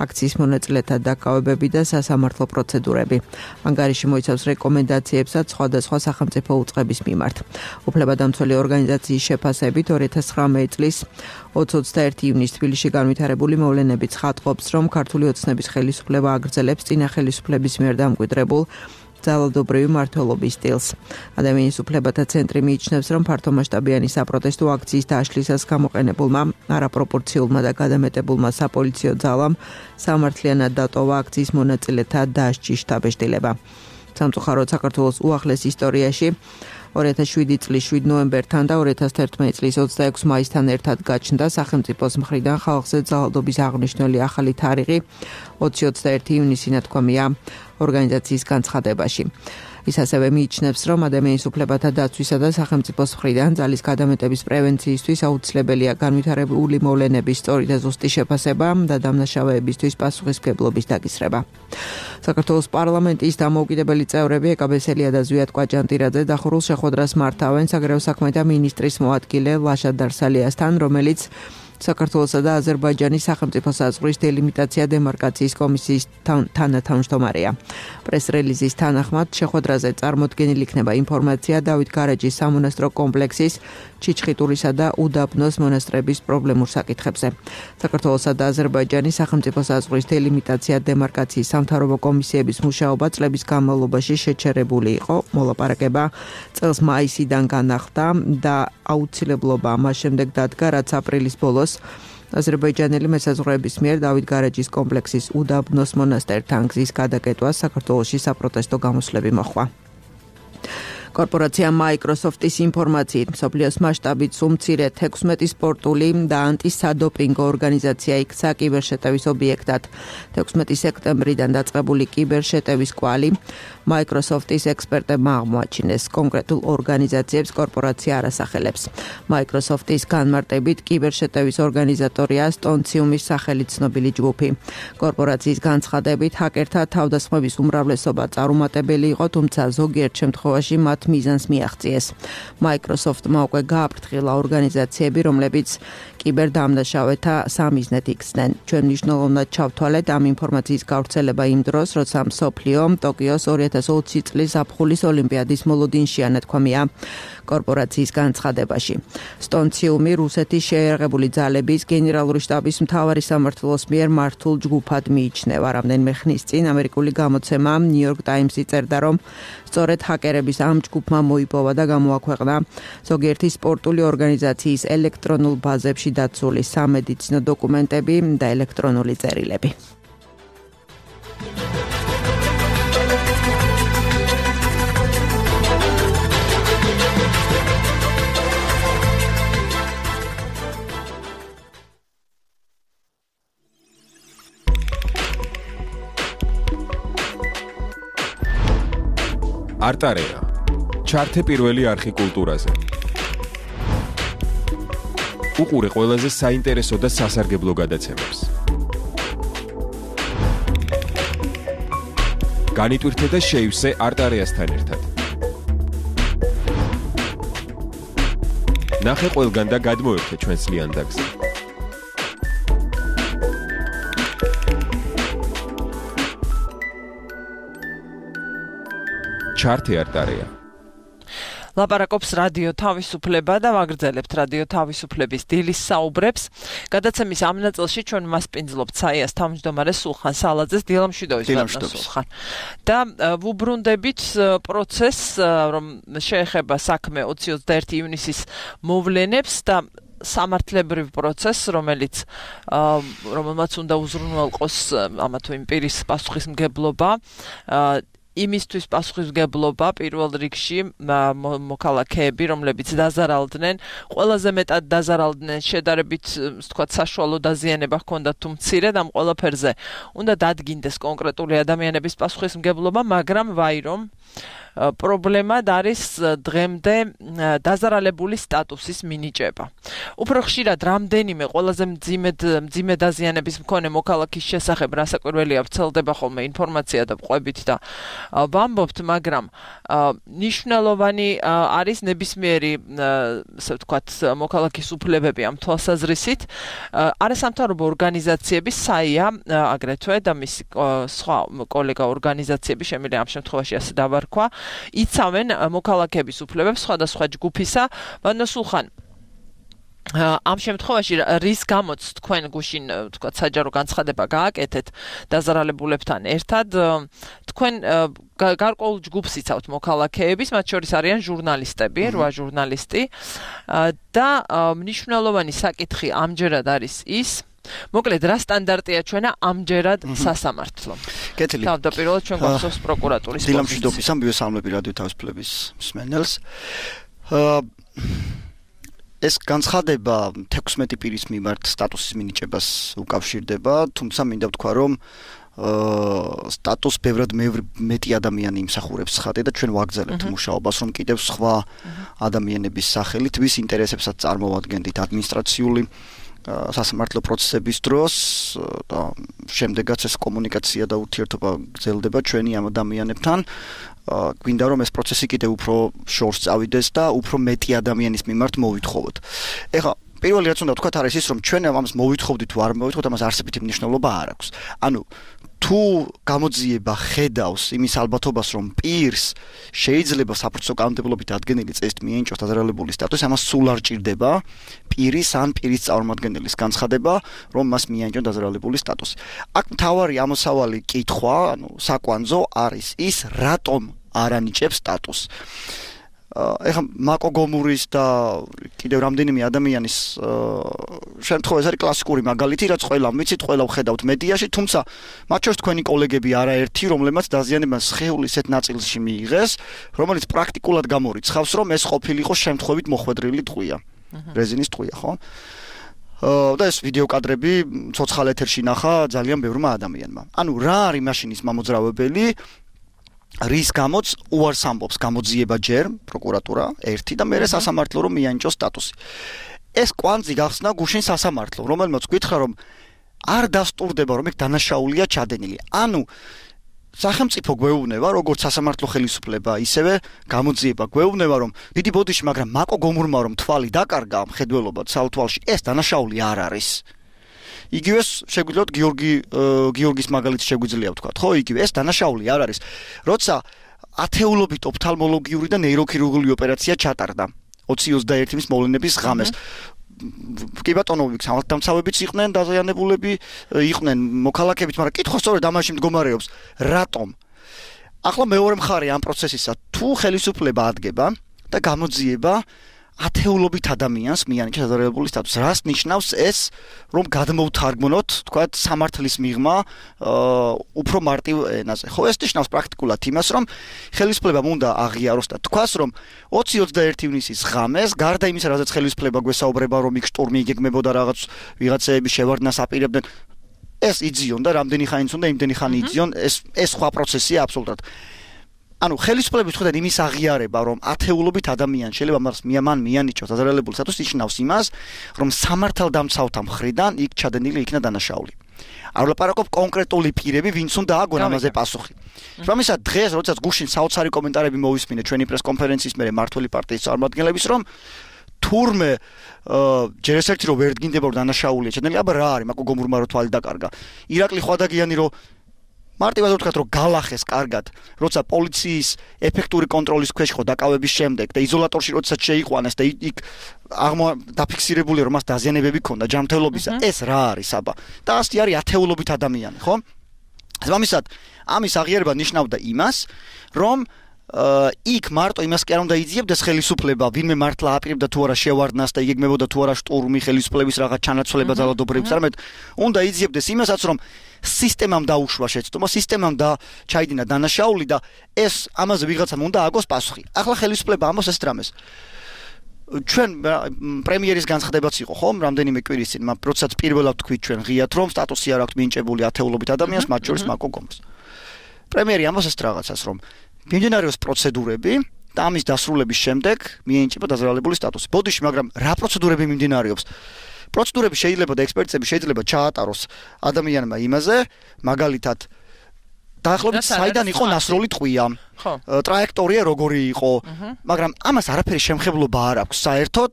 აქციის მონაწილეთა დაკავებები და სასამართლო პროცედურები. ანგარიში მოიცავს რეკომენდაციებსაც სხვადასხვა სახელმწიფო უწყების მიმართ. უფლებადამცველი ორგანიზაციის შეფასებით 2019 წლის 20-21 ივნისს თბილისში განვითარებული მოვლენები ცხადყოფს, რომ ქართული ოცნების ხელისუფლება აგრძელებს წინა ხელისუფლების მიერ დამკვიდრებულ ძალადობრივი მმართველობის სტილს. ადამიანის უფლებათა ცენტრი მიიჩნევს, რომ ფართომასშტაბიანი საპროტესტო აქციის დაშლისას გამოყენებულმა არაპროპორციულმა და გადამეტებულმა საპოლიციო ძალამ სამართლიანად დატოვა აქციის მონაწილეთა დასჯის შთაბეჭდილება. სამწუხაროდ საქართველოს უახლეს ისტორიაში 2007 წლის 7 ნოემბერთან და 2011 წლის 26 მაისთან ერთად გაჩნდა სახელმწიფოს მხრიდან ხალხზე ძალადობის აღნიშნული ახალი თარიღი 20-21 ივნისი ნათქვამია ორგანიზაციის განცხადებაში. ის ასევე მიიჩნევს, რომ ადამიანის უფლებათა დაცვისა და სახელმწიფოს მხრიდან ძალის გადამეტების პრევენციისთვის აუცილებელია განვითარებული მოვლენების სწორი და ზუსტი შეფასება და დამნაშავეებისთვის პასუხისმგებლობის დაკისრება. საქართველოს პარლამენტის დამოუკიდებელი წევრები ეკაბესელია და ზვიად კვაჭანტირაძე დახურულ შეხვედრას მართავენ საგარეო საქმეთა მინისტრის მოადგილე ლაშა დარსალიასთან, რომელიც საქართველოსა და აზერბაიჯანის სახელმწიფო საზღვრის დელიმიტაცია დემარკაციის კომისიის თანათავმჯდომარეა. პრეს-რელიზის თანახმად შეხვედრაზე წარმოდგენილი იქნება ინფორმაცია დავით გარეჯის სამონასტრო კომპლექსის, ჩიჩხიტურისა და უდაბნოს მონასტრების პრობლემურ საკითხებზე. საქართველოსა და აზერბაიჯანის სახელმწიფო საზღვრის დელიმიტაცია დემარკაციის სამთავრობო კომისიების მუშაობა წლების განმავლობაში შეჩერებული იყო. მოლაპარაკება წელს მაისიდან განახლდა და აუცილებლობა ამას შემდეგ დადგა, რაც აპრილის ბოლოს აზერბაიჯანელი მესაზღვრეების მიერ დავით გარეჯის კომპლექსის უდაბნოს მონასტერთან გზის გადაკეტვას საქართველოში საპროტესტო გამოსვლები მოხდა. კორპორაცია Microsoft-ის ინფორმაციით მსოფლიოს მასშტაბით უმცირე 16 სპორტული და ანტისადოპინგო ორგანიზაცია იქცა კიბერშეტევის ობიექტად. 16 სექტემბრიდან დაწყებული კიბერშეტევის კვალი Microsoft-ის ექსპერტებმა აღმოაჩინეს. კონკრეტულ ორგანიზაციებს კორპორაცია არ ასახელებს. Microsoft-ის განმარტებით კიბერშეტევის ორგანიზატორია სტონციუმის სახელით ცნობილი ჯგუფი. კორპორაციის განცხადებით ჰაკერთა თავდასხმების უმრავლესობა წარუმატებელი იყო, თუმცა ზოგიერთ შემთხვევაში მათ მიზანს მიაღწიეს. Microsoft-მა უკვე გააფრთხილა ორგანიზაციები, რომლებიც კიბერდამნაშავეთა სამიზნედ იქცნენ. ჩვენ მნიშვნელოვნად ჩავთვალეთ ამ ინფორმაციის გავრცელება იმ დროს, როცა მსოფლიო ტოკიოს 2020 წლის ზაფხულის ოლიმპიადის მოლოდინშია ნათქვამია კორპორაციის განცხადებაში. სტონციუმი რუსეთის შეიარაღებული ძალების გენერალური შტაბის მთავარი სამმართველოს მიერ მართულ ჯგუფად მიიჩნევა. რამდენიმე ხნის წინ ამერიკული გამოცემა New York Times-ი წერდა, რომ სწორედ ჰაკერების ამ ჯგუფმა მოიპოვა და გამოაქვეყნა ზოგიერთი სპორტული ორგანიზაციის ელექტრონულ ბაზებში დაცული სამედიცინო დოკუმენტები და ელექტრონული წერილები. არტარეა. ჩართე პირველი არხი კულტურაზე. უყურე ყველაზე საინტერესო და სასარგებლო გადაცემებს. განიტვირთე და შეივსე არტარეასთან ერთად. ნახე ყველგან და გადმოერთე ჩვენს ლიანდაგზე. ჩართე არტარეა. ლაპარაკობს რადიო თავისუფლება და ვაგრძელებთ რადიო თავისუფლების დილის საუბრებს. გადაცემის ამ ნაწილში ჩვენ მასპინძლობთ საიას თავმჯდომარე სულხან სალაძეს, დილამშვიდობის სულხან. და ვუბრუნდებით პროცესს, რომ შეეხება საქმე 20-21 ივნისის მოვლენებს და სამართლებრივ პროცესს, რომელმაც უნდა უზრუნველყოს ამა თუ იმ პირის პასუხისმგებლობა. იმისთვის პასუხისმგებლობა პირველ რიგში მოქალაქეები, რომლებიც დაზარალდნენ, ყველაზე მეტად დაზარალდნენ, შედარებით, ვთქვათ, საშუალო დაზიანება ჰქონდათ თუ მცირე და ამ ყველაფერზე უნდა დადგინდეს კონკრეტული ადამიანების პასუხისმგებლობა, მაგრამ ვაირომ პრობლემად არის დღემდე დაზარალებული სტატუსის მინიჭება. უფრო ხშირად რამდენიმე ყველაზე მძიმე დაზიანების მქონე მოქალაქის შესახებ რასაკვირველია ვრცელდება ხოლმე ინფორმაცია და ყვებით და ვამბობთ, მაგრამ ნიშნულოვანი არის ნებისმიერი, ასე ვთქვათ, მოქალაქის უფლებები ამ თვალსაზრისით. არასამთავრობო ორგანიზაციები, საია აგრეთვე და მისი სხვა კოლეგა ორგანიზაციები, შემიძლია ამ შემთხვევაში ასე დავარქვა, იცავენ მოქალაქეების უფლებებს სხვადასხვა ჯგუფისა. ბატონო სულხან, ამ შემთხვევაში რის გამოც თქვენ გუშინ, ვთქვათ, საჯარო განცხადება გააკეთეთ დაზარალებულებთან ერთად, თქვენ გარკვეულ ჯგუფს იცავთ მოქალაქეების, მათ შორის არიან ჟურნალისტები, 8 ჟურნალისტი და მნიშვნელოვანი საკითხი ამჯერად არის ის, მოკლედ რა სტანდარტია ჩვენა ამჯერად სასამართლო. კეთილი. თავდაპირველად ჩვენ გვახსოვს პროკურატურის პოზიცია. დილამშვიდობის მივესალმები რადიო თავისუფლების მსმენელს. ეს განცხადება 16 პირის მიმართ სტატუსის მინიჭებას უკავშირდება, თუმცა მინდა ვთქვა, რომ სტატუს ბევრად მეტი ადამიანი იმსახურებს ხატი და ჩვენ ვაგრძელებთ მუშაობას, რომ კიდევ სხვა ადამიანების სახელით ვის ინტერესებსაც წარმოვადგენდით ადმინისტრაციული სასამართლო პროცესების დროს და შემდეგაც ეს კომუნიკაცია და ურთიერთობა გრძელდება ჩვენი ამ ადამიანებთან. გვინდა რომ ეს პროცესი კიდევ უფრო შორს წავიდეს და უფრო მეტი ადამიანის მიმართ მოვითხოვოთ. ეხლა პირველი რაც უნდა ვთქვათ არის ის, რომ ჩვენ ამას მოვითხოვდით თუ არ მოვითხოვთ, ამას არსებითი მნიშვნელობა არ აქვს. ანუ თუ გამოძიება ხედავს იმის ალბათობას, რომ პირს შეიძლება საპროცესო კანონმდებლობით ადგენილი წესით მიენიჭოს დაზარალებული სტატუსი, ამას სულ არ ჭირდება პირის ან პირის წარმომადგენლის განცხადება, რომ მას მიენიჭოს დაზარალებული სტატუსი. აქ მთავარი ამოსავალი კითხვა, ანუ საკვანძო არის ის, რატომ არ ანიჭებს სტატუსს. ეხლა მაკო გომურის და კიდევ რამდენიმე ადამიანის შემთხვევა ეს არის კლასიკური მაგალითი, რაც ყველა ვიცით, ყველა ვხედავთ მედიაში, თუმცა მათ შორის თქვენი კოლეგები არაერთი, რომლებმაც დაზიანება სხეულის ერთ ნაწილში მიიღეს, რომელიც პრაქტიკულად გამორიცხავს, რომ ეს ყოფილიყო შემთხვევით მოხვედრილი ტყვია. რეზინის ტყვია, ხო? და ეს ვიდეო კადრები ცოცხალ ეთერში ნახა ძალიან ბევრმა ადამიანმა. ანუ რა არის მაშინის მამოძრავებელი? რის გამოც უარს ამბობს გამოძიება ჯერ პროკურატურა ერთი და მერე სასამართლო რომ მიანიჭოს სტატუსი. ეს კვანძი გახსნა გუშინ სასამართლო, რომელმაც გითხრა რომ არ დასტურდება რომ ეგ დანაშაულია ჩადენილი. ანუ სახელმწიფო გვეუბნება, როგორც სასამართლო ხელისუფლება, ისევე გამოძიება გვეუბნება, რომ დიდი ბოდიში, მაგრამ მაკო გომურმა რომ თვალი დაკარგა მხედველობა ცალთვალში, ეს დანაშაული არ არის. იგივეს შეგვიძლიათ გიორგის მაგალითს შეგვიძლია ვთქვათ, ხო, იგივე ეს დანაშაული არ არის. როცა ათეულობით ოფთალმოლოგიური და ნეიროქირურგიული ოპერაცია ჩატარდა 20-21 მოვლენების ღამეს. კი ბატონო, სამართალდამცავებიც იყვნენ დაზიანებულები, იყვნენ მოქალაქეებიც, მაგრამ კითხვა სწორედ ამაში მდგომარეობს, რატომ? ახლა მეორე მხარე ამ პროცესისა, თუ ხელისუფლება ადგება და გამოძიება ათეულობით ადამიანს მიანიჭა დაზარალებული სტატუსი. რას ნიშნავს ეს, რომ გადმოვთარგმნოთ, თქვათ, სამართლის მიღმა უფრო მარტივ ენაზე. ხო, ეს ნიშნავს პრაქტიკულად იმას, რომ ხელისუფლებამ უნდა აღიაროს და თქვას, რომ 20-21 ივნისის ღამეს, გარდა იმისა, რაზეც ხელისუფლება გვესაუბრება, რომ იქ შტურმი იგეგმებოდა რაღაც ვიღაცეების შევარდნას აპირებდნენ, ეს იძიონ და რამდენი ხანიც უნდა იმდენი ხანი იძიონ, ეს სხვა პროცესია აბსოლუტურად. ანუ ხელისუფლების ხედავთ იმის აღიარება, რომ ათეულობით ადამიანი შეიძლება მას მიანიჭოს დაზარალებული სტატუსი ნიშნავს იმას, რომ სამართალდამცავთა მხრიდან იქ ჩადენილი იქნა დანაშაული. არ ვლაპარაკობ კონკრეტული პირები, ვინც უნდა აგონ ამაზე პასუხი. რამისად დღეს, როდესაც გუშინ საოცარი კომენტარები მოვისმინე ჩვენი პრეს-კონფერენციის მერე მართველი პარტიის წარმომადგენლების, რომ თურმე ჯერ ეს ერთი რომ ვერ დგინდება რომ დანაშაულია ჩადენილი, აბა რა არის, მაკო გომურმა რო თვალი დაკარგა. ირაკლი ხვადაგიანი რომ მარტივად ვთქვათ რომ გალახეს კარგად, როცა პოლიციის ეფექტური კონტროლის ქვეშ ხო დაკავების შემდეგ და იზოლატორში როდესაც შეიყვანეს და იქ დაფიქსირებული რომ მას დაზიანებები ჰქონდა ჯანმრთელობისა, ეს რა არის აბა? და ასეთი არის ათეულობით ადამიანი, ხო? ამისად, ამის აღიარება ნიშნავდა იმას, რომ იქ მარტო იმას კი არ უნდა იძიებდეს ხელისუფლება, ვინმე მართლა აპირებდა თუ არა შევარდნას და იგეგმებოდა თუ არა შტურმი ხელისუფლების რაღაც ჩანაცვლება ძალადობრივს, არამედ უნდა იძიებდეს იმასაც, რომ სისტემამ დაუშვა შეცდომა, სისტემამ და ჩაიდინა დანაშაული და ეს ამაზე ვიღაცამ უნდა აგოს პასუხი. ახლა ხელისუფლება ამბობს ეს დრამეს. ჩვენ პრემიერის განცხადებაც იყო, ხო, რამდენიმე კვირის წინ, როდესაც პირველად თქვით ჩვენ ღიად, რომ სტატუსი არ აქვს მინიჭებული ათეულობით ადამიანს, მათ შორის მაკო გომს. პრემიერი ამბობს ეს რაღაცას, რომ მიმდინარეობს პროცედურები და ამის დასრულების შემდეგ მიენიჭება დაზარალებული სტატუსი. ბოდიში, მაგრამ რა პროცედურები მიმდინარეობს? პროცედურები შეიძლება და ექსპერტები შეიძლება ჩაატაროს ადამიანმა იმაზე, მაგალითად დაახლოებით საიდან იყო ნასროლი ტყვია, ტრაექტორია როგორი იყო, მაგრამ ამას არაფერი შემხებლობა არ აქვს საერთოდ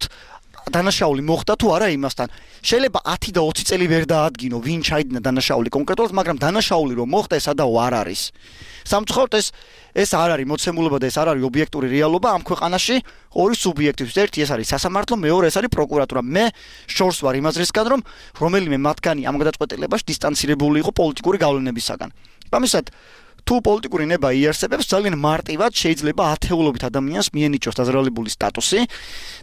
დანაშაული მოხდა თუ არა იმასთან. შეიძლება 10 და 20 წელი ვერ დაადგინო, ვინ ჩაიდინა დანაშაული კონკრეტულად, მაგრამ დანაშაული რომ მოხდა ეს ადაო არ არის. სამწუხაროდ ეს არ არის მოცემულობა და ეს არ არის ობიექტური რეალობა ამ ქვეყანაში ორი სუბიექტის. ერთი ეს არის სასამართლო, მეორე ეს არის პროკურატურა. მე შორს ვარ იმ აზრისგან, რომ რომელიმე მათგანი ამ გადაწყვეტილებაში დისტანცირებული იყო პოლიტიკური გავლენებისაგან. ამისად თუ პოლიტიკური ნება იარსებებს, ძალიან მარტივად შეიძლება ათეულობით ადამიანს მიენიჭოს დაზარალებული სტატუსი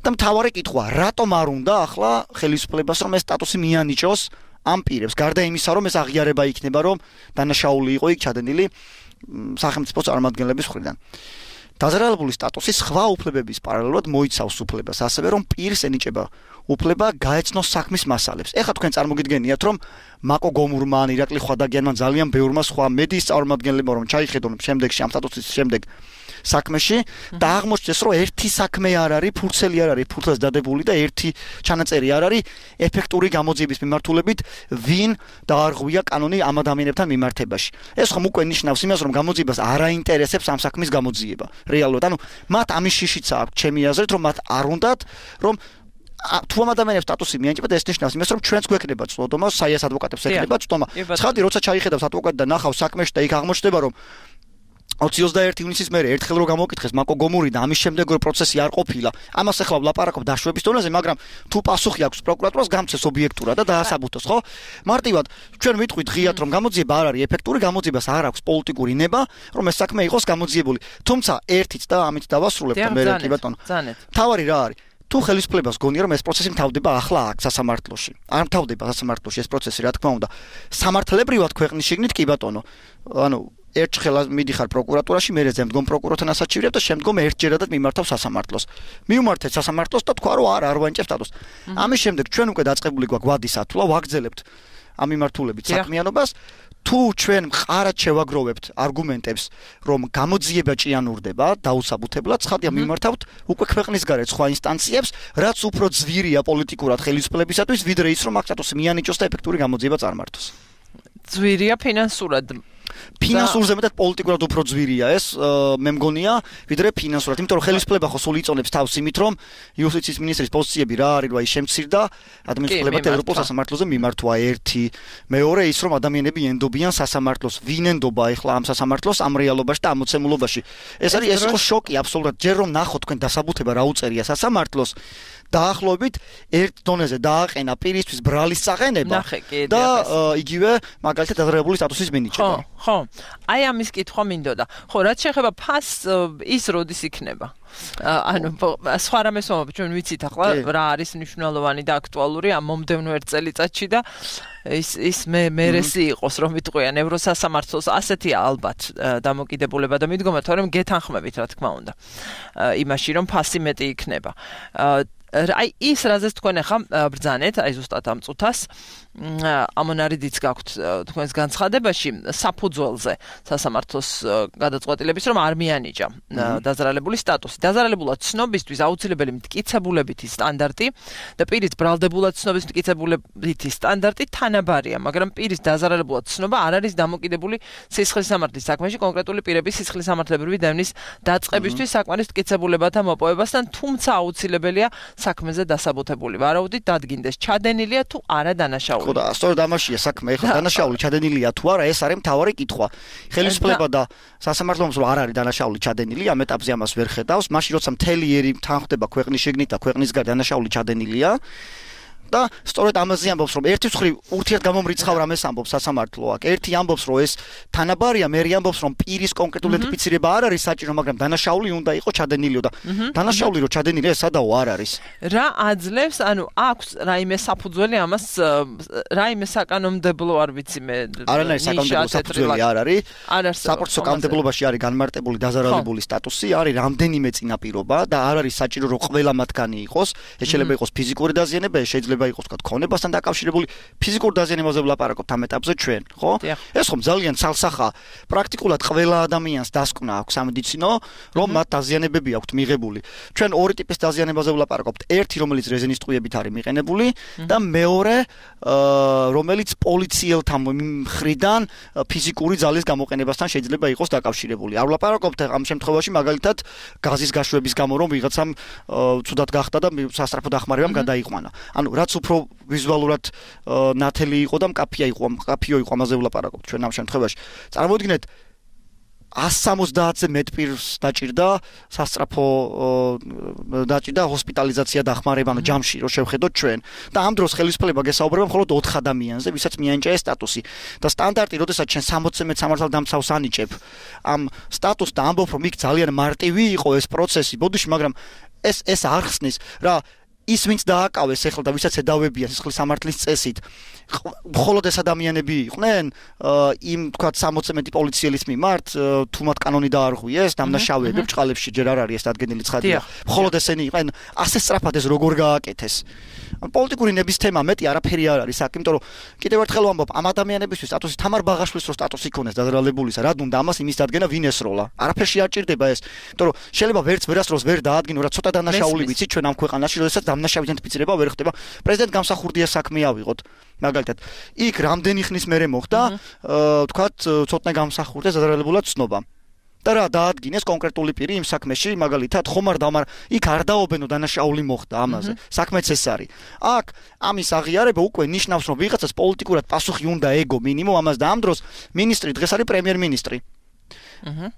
და მთავარი კითხვა, რატომ არ უნდა ახლა ხელისუფლებას რომ ეს სტატუსი მიანიჭოს ამ პირებს, გარდა იმისა, რომ ეს აღიარება იქნება, რომ დანაშაული იყო იქ ჩადენილი სახელმწიფო წარმომადგენლების მხრიდან. დაზარალებული სტატუსი სხვა უფლებების პარალელურად მოიცავს უფლებას, ასევე რომ პირს ენიჭება უფლება გაეცნოს საქმის მასალებს. ეხლა თქვენ წარმოგიდგენიათ, რომ მაკო გომურმა, ირაკლი ხვადაგიანმა, ძალიან ბევრმა სხვა მედიის წარმომადგენლებმა რომ ჩაიხედონ შემდეგში ამ სტატუსის შემდეგ საქმეში და აღმოჩნდეს, რომ ერთი საქმე არ არის, ფურცელი არ არის, ფურცელს დადებული და ერთი ჩანაწერი არ არის ეფექტური გამოძიების მიმართულებით, ვინ დაარღვია კანონი ამ ადამიანებთან მიმართებაში. ეს ხომ უკვე ნიშნავს იმას, რომ გამოძიებას არ აინტერესებს ამ საქმის გამოძიება. რეალურად, ანუ მათ ამის შიშიც აქვს, ჩემი აზრით, რომ მათ არ უნდათ, რომ თუ ამ ადამიანებს სტატუსი მიენიჭება და ეს ნიშნავს იმას, რომ ჩვენც გვექნება წვდომა, საიას ადვოკატებს ექნება წვდომა. ცხადი როცა ჩაიხედავს ადვოკატი და ნახავს საქმეში და იქ აღმოჩნდება, რომ 21 ივნისის მერე ერთხელ რო გამოკითხეს მაკო გომური და ამის შემდეგ რო პროცესი არ ყოფილა, ამას ახლა ვლაპარაკობ დაშვების დონეზე, მაგრამ თუ პასუხი აქვს პროკურატურას, გამცეს ობიექტურად და დაასაბუთოს, ხო? მარტივად ჩვენ ვიტყვით ღიად, რომ გამოძიება არ არის ეფექტური, გამოძიებას არ აქვს პოლიტიკური ნება, რომ ეს საქმე იყოს გამოძიებული. თუმცა ერთიც და ამით დავასრულებ და მე კი ბატონო. თავარი რა არის? თუ ხელისუფლებას გონია რომ ეს პროცესი მთავრდება ახლა აქ სასამართლოში. არ მთავრდება სასამართლოში ეს პროცესი, რა თქმა უნდა. სამართლებრივად ქვეყნის შიგნით კი ბატონო. ანუ ერთხელ მიდიხარ პროკურატურაში, მერე ზემდგომ პროკურორთან ასაჩივრებ და შემდგომ ერთჯერადად მიმართავ სასამართლოს. მივმართეთ სასამართლოს და თქვა რომ არ ვანიჭებ სტატუსს. ამის შემდეგ ჩვენ უკვე დაწყებული გვაქვს ვადის ათვლა, ვაგრძელებთ ამ მიმართულებით საქმიანობას. თუ ჩვენ მყარად შევაგროვებთ არგუმენტებს, რომ გამოძიება ჭიანურდება დაუსაბუთებლად, ცხადია მიმართავთ უკვე ქვეყნის გარეთ სხვა ინსტანციებს, რაც უფრო ძვირია პოლიტიკურად ხელისუფლებისათვის, ვიდრე ის რომ აქ სტატუსი მიანიჭოს და ეფექტური გამოძიება წარმართოს. ძვირია ფინანსურად. ფინანსურზე მეტად პოლიტიკურად უფრო ძვირია ეს, მე მგონია, ვიდრე ფინანსურად, იმიტომ რომ ხელისუფლება ხო სულ იწონებს თავს იმით, რომ იუსტიციის მინისტრის პოზიციები რა არის, რა ის შემცირდა, ადმინისტრაციებად ევროპულ სასამართლოზე მიმართვა ერთი, მეორე ის რომ ადამიანები ენდობიან სასამართლოს, ვინ ენდობა ახლა ამ სასამართლოს ამ რეალობაში და ამ მოცემულობაში. ეს არის ეს იყო შოკი აბსოლუტურად, ჯერ რომ ნახოთ თქვენ დასაბუთება რა უწერია სასამართლოს დაახლოებით ერთ დონეზე დააყენა პირისთვის ბრალის წაყენება და იგივე მაგალითად დაზარალებული სტატუსის მინიჭება. ხო. აი ამის კითხვა მინდოდა. ხო, რაც შეეხება ფასს, ის როდის იქნება? ანუ სხვა რამეს ვამბობ, ჩვენ ვიცით ახლა რა არის მნიშვნელოვანი და აქტუალური ამ მომდევნო ერთ წელიწადში და ის მერესი იყოს რომ იტყვიან ევროსასამართლოს, ასეთია ალბათ დამოკიდებულება და მიდგომა, თორემ გეთანხმებით რა თქმა უნდა იმაში რომ ფასი მეტი იქნება. აი ის რაზეც თქვენ ახლა ბრძანეთ, აი ზუსტად ამ წუთას ამონარიდიც გაქვთ თქვენს განცხადებაში საფუძველზე სასამართლოს გადაწყვეტილების რომ არ მიანიჭა დაზარალებული სტატუსი. დაზარალებულად ცნობისთვის აუცილებელი მტკიცებულებითი სტანდარტი და პირის ბრალდებულად ცნობის მტკიცებულებითი სტანდარტი თანაბარია, მაგრამ პირის დაზარალებულად ცნობა არ არის დამოკიდებული სისხლის სამართლის საქმეში კონკრეტული პირების სისხლის სამართლებრივი დევნის დაწყებისთვის საკმარის მტკიცებულებათა მოპოვებასთან, თუმცა აუცილებელია საქმეზე დასაბუთებული ვარაუდით დადგინდეს ჩადენილია თუ არა დანაშაული. ხო და სწორედ ამაშია საქმე. ეხლა დანაშაული ჩადენილია თუ არა, ეს არის მთავარი კითხვა. ხელისუფლება და სასამართლოს რომ არ არის დანაშაული ჩადენილი, ამ ეტაპზე ამას ვერ ხედავს. მაშინ როცა მთელი ერი თანხდება ქვეყნის შეგნით და ქვეყნის გარდა დანაშაული ჩადენილია და სწორედ ამაზე ამბობს რომ ერთი მხრივ ურთიერთგამომრიცხავ რამეს ამბობს სასამართლო აქ. ერთი ამბობს რომ ეს თანაბარია, მერი ამბობს რომ პირის კონკრეტული იდენტიფიცირება არ არის საჭირო, მაგრამ დანაშაული უნდა იყოს ჩადენილიო და დანაშაული რო ჩადენილია სადაო არ არის. რა აძლევს, ანუ აქვს რაიმე საფუძველი ამას, რაიმე საკანონმდებლო არ ვიცი მე. არანაირი საკანონმდებლო საფუძველი არ არის. არ არსებობს. საპორტო კანონმდებლობაში არის განმარტებული დაზარალებული სტატუსი, არის რამდენიმე წინაპირობა და არ არის საჭირო რომ ყველა მათგანი იყოს. ეს შეიძლება იყოს ფიზიკური დაზიანება, ეს შეიძლება იყოს თქვა ქონებასთან დაკავშირებული ფიზიკურ დაზიანებაზე ვლაპარაკობთ ამ ეტაპზე ჩვენ, ხო? ეს ხომ ძალიან ცალსახა პრაქტიკულად ყველა ადამიანს დასკვნა აქვს სამედიცინო, რომ მათ დაზიანებები აქვთ მიღებული. ჩვენ ორი ტიპის დაზიანებაზე ვლაპარაკობთ. ერთი, რომელიც რეზინის ტყვიებით არის მიყენებული და მეორე, რომელიც პოლიციელთა მხრიდან ფიზიკური ძალის გამოყენებასთან შეიძლება იყოს დაკავშირებული. არ ვლაპარაკობთ ამ შემთხვევაში მაგალითად გაზის გაშვების გამო რომ ვიღაცამ ცუდად გახდა და სასწრაფო დახმარებამ გადაიყვანა. ანუ რაც უფრო ვიზუალურად ნათელი იყო და მკაფიო იყო ამაზე ვლაპარაკობთ ჩვენ ამ შემთხვევაში. წარმოიდგინეთ 170-ზე მეტ პირს დაჭირდა სასწრაფო დაჭირდა ჰოსპიტალიზაცია დახმარება ანუ ჯამში რო შევხედოთ ჩვენ და ამ დროს ხელისუფლება გესაუბრება მხოლოდ 4 ადამიანზე, ვისაც მიენიჭა ეს სტატუსი და სტანდარტი, როდესაც ჩვენ 60 მეტ სამართალდამცავს ანიჭებ ამ სტატუსს და ამბობ რომ იქ ძალიან მარტივი იყო ეს პროცესი, ბოდიში, მაგრამ ეს არ ხსნის რა ის ვინც დააკავეს ეხლა და ვისაც ედავებიან სისხლის სამართლის წესით მხოლოდ ეს ადამიანები იყვნენ იმ თქვა 60 მეტი პოლიციელის მიმართ თუ მათ კანონი დაარღვიეს დამნაშავეები ბჭყალებში ჯერ არ არის ეს დადგენილი ცხადია მხოლოდ ესენი იყვნენ ასე სწრაფად ეს როგორ გააკეთეს პოლიტიკური ნების თემა მეტი არაფერი არ არის აქ იმიტომ რომ კიდევ ერთხელ ვამბობ ამ ადამიანებისთვის სტატუსი თამარ ბაღაშვილის რო სტატუსი იქონეს დაზრალებულისა რა უნდა ამას იმის დადგენა ვინ ესროლა არაფერში არ ჭირდება ეს იმიტომ რომ შეიძლება ვერც ვერასდროს ვერ დაადგინო რა ცოტა დანაშაული ვიცი ჩვენ ამ ქვეყანაში როდესაც დამნაშავე იდენტიფიცირება ვერ ხდება პრეზიდენტ გამსახურდია საქმე ავიღოთ მაგალითად იქ რამდენი ხნის მერე მოხდა თქვათ ცოტნე გამსახურდა დაზრალებულად ცნობა და რა დაადგინეს კონკრეტული პირი იმ საქმეში მაგალითად ხომ არ დამარ იქ არ დაობენო დანაშაული მოხდა ამაზე საქმეც ეს არის აქ ამის აღიარება უკვე ნიშნავს რომ ვიღაცას პოლიტიკურად პასუხი უნდა ეგო მინიმუმ ამას და ამ დროს მინისტრი დღეს არის პრემიერ-მინისტრი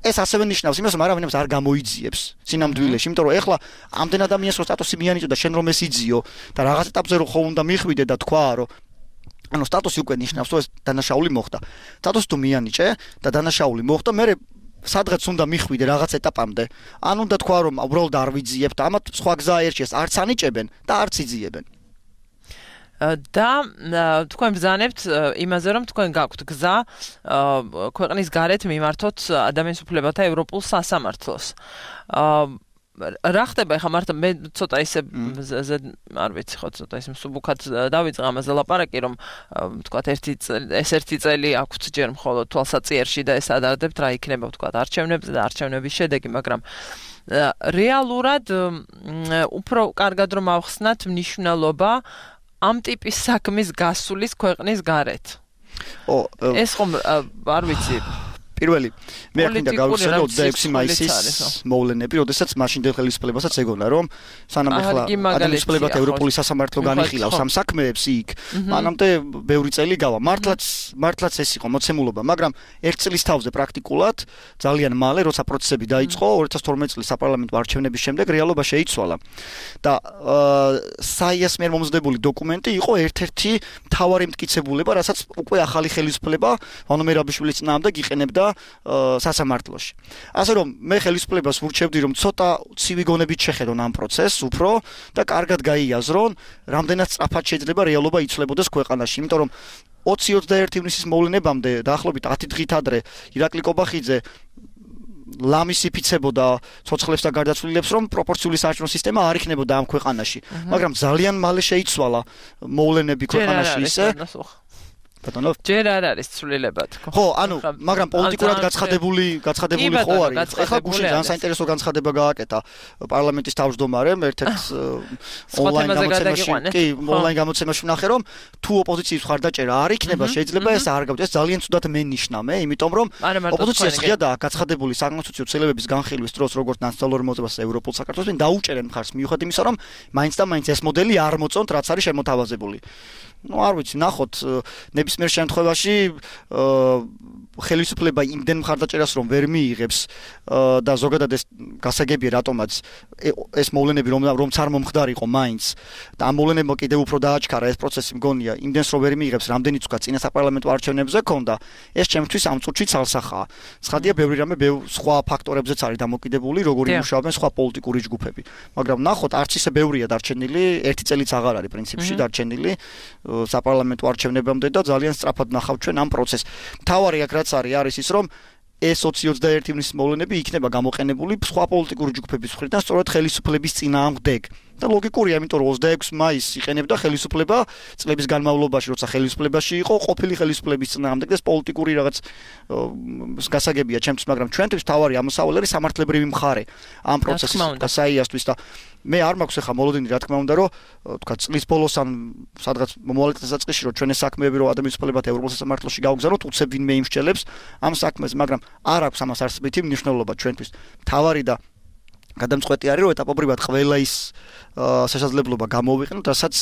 ეს ასევე ნიშნავს იმას რომ არავინებს არ გამოიძიებს სინამდვილეში იმიტომ რომ ეხლა ამდენ ადამიანს რო სტატუსი მიანიჭო და შენ რომ ეს იძიო და რაღაც ეტაპზე რო ხო უნდა მიხვიდე და თქვა რომ ანუ სტატუსი უკვე ნიშნავს რომ ეს დანაშაული მოხდა სტატუსი თუ მიანიჭე და დანაშაული მოხდა მე სადღაც უნდა მიხვიდე რაღაც ეტაპამდე ან უნდა თქვა რომ უბრალოდ არ ვიძიებ და ამათ სხვა გზა აერჩიეს არც ანიჭებენ და არც იძიებენ და თქვენ ბრძანებთ იმაზე რომ თქვენ გაქვთ გზა ქვეყნის გარეთ მიმართოთ ადამიანის უფლებათა ევროპულ სასამართლოს რა ხდება ხა მარტო მე ცოტა ისე არ ვიცი ხო ცოტა ისე მსუბუქად დავიწყე ამაზე ლაპარაკი რომ თქვათ ერთი წელი აქვთ ჯერ მხოლოდ თვალსაწიერში და ეს ადარდებთ რა იქნება თქვათ არჩევნებზე და არჩევნების შედეგი მაგრამ რეალურად უფრო კარგად რომ ავხსნათ მნიშვნელობა ამ ტიპის საქმის გასulis ქვეყნის გარეთ ეს ხომ არ ვიცი პირველი მე ახლა გავიხსენე 26 მაისის მოვლენები, როდესაც მაშინდელ ხელისუფლებასაც ეგონა რომ სანამ ახლა ადამიანის უფლებათა ევროპული სასამართლო განიხილავს ამ საქმეებს იქ, მანამდე ბევრი წელი გავა. მართლაც ეს იყო მოცემულობა, მაგრამ ერთ წლის თავზე პრაქტიკულად ძალიან მალე, როცა პროცესები დაიწყო 2012 წლის საპარლამენტო არჩევნების შემდეგ რეალობა შეიცვალა. და საიას მიერ მომზადებული დოკუმენტი იყო ერთ-ერთი მთავარი მტკიცებულება, რასაც უკვე ახალი ხელისუფლება ვანო მერაბიშვილის წინააღმდეგ იყენებდა სასამართლოში. ასე რომ მე ხელისუფლებას ვურჩევდი რომ ცოტა ცივი გონებით შეხედონ ამ პროცესს უფრო და კარგად გაიაზრონ რამდენად სწრაფად შეიძლება რეალობა იცვლებოდეს ქვეყანაში, იმიტომ რომ 20-21 ივნისის მოვლენებამდე დაახლოებით 10 დღით ადრე ირაკლი კობახიძე ლამის იფიცებოდა ცოცხლებს და გარდაცვლილებს, რომ პროპორციული საარჩევნო სისტემა არ იქნებოდა ამ ქვეყანაში. მაგრამ ძალიან მალე შეიცვალა მოვლენები ქვეყანაში ისე. ბატონო, ჯერ არ არის ცვლილება თქო. ხო, ანუ, მაგრამ პოლიტიკურად გაცხადებული ხო არის. ეხლა გუშინ ძალიან საინტერესო განცხადება გააკეთა პარლამენტის თავმჯდომარემ ერთ-ერთ ონლაინ გამოცემაში ვნახე, რომ თუ ოპოზიციის მხარდაჭერა არ იქნება, შეიძლება ეს არ გავდეს ძალიან ცუდად მენიშნა მე, იმიტომ რომ ოპოზიციას ღიადა გაცხადებული საკონსტიტუციო ცვლილებების განხილვის დროს, როგორც ნაციონალურ მოძრაობას ევროპულ საქართველოს დაუჭერენ მხარს მიუხედავად იმისა, რომ მაინც და მაინც ეს მოდელი არ მოწონთ, რაც არის შემოთავაზებული. არ ვიცი, ნახოთ, ნებისმიერ შემთხვევაში ხელისუფლება იმდენ მხარდაჭერას რომ ვერ მიიღებს და ზოგადად ეს გასაგებია რატომაც ეს მოვლენები რომც არ მომხდარიყო მაინც და ამ მოვლენებმა კიდევ უფრო დააჩქარა ეს პროცესი მგონია იმდენს რომ ვერ მიიღებს რამდენიც უკვე წინა საპარლამენტო არჩევნებზე ქონდა ეს ჩემთვის ამ წუთში ცალსახაა. ცხადია ბევრი რამე სხვა ფაქტორებზეც არის დამოკიდებული როგორი მუშაობენ სხვა პოლიტიკური ჯგუფები. მაგრამ ნახოთ არც ისე ბევრია დარჩენილი, ერთი წელიც აღარ არის პრინციპში დარჩენილი საპარლამენტო არჩევნებამდე და ძალიან სწრაფად ნახავთ ჩვენ ამ პროცესს. მთავარი აქ რაც არის ის რომ ეს 2021 ივნისის მოვლენები იქნება გამოყენებული სხვა პოლიტიკური ჯგუფების მხრიდან სწორედ ხელისუფლების წინააღმდეგ. და ლოგიკურია, იმიტომ რომ 26 მაისს იყენებდა ხელისუფლება წლების განმავლობაში, როცა ხელისუფლებაში იყო, ყოფილი ხელისუფლების წინააღმდეგ და პოლიტიკური რაღაც გასაგებია ჩემთვის, მაგრამ ჩვენთვის თავარი ამოსავალი არის სამართლებრივი მხარე ამ პროცესის გასაიასთვის და მე არ მაქვს ახლა მოლოდინი რა თქმა უნდა რომ თქვა წლის ბოლოს ან სადღაც მომავალ დასაწყისში რომ ჩვენი საქმეები რომ ადამიანის უფლებათა ევროპულ სასამართლოში გავგზავნოთ უცებ ვინმე იმსჯელებს ამ საქმეს, მაგრამ არ აქვს ამას არსებითი მნიშვნელობა ჩვენთვის. თავარი და გადამწყვეტი არის რომ ეტაპობრივად ყველა ის შესაძლებლობა გამოვიყენოთ, რასაც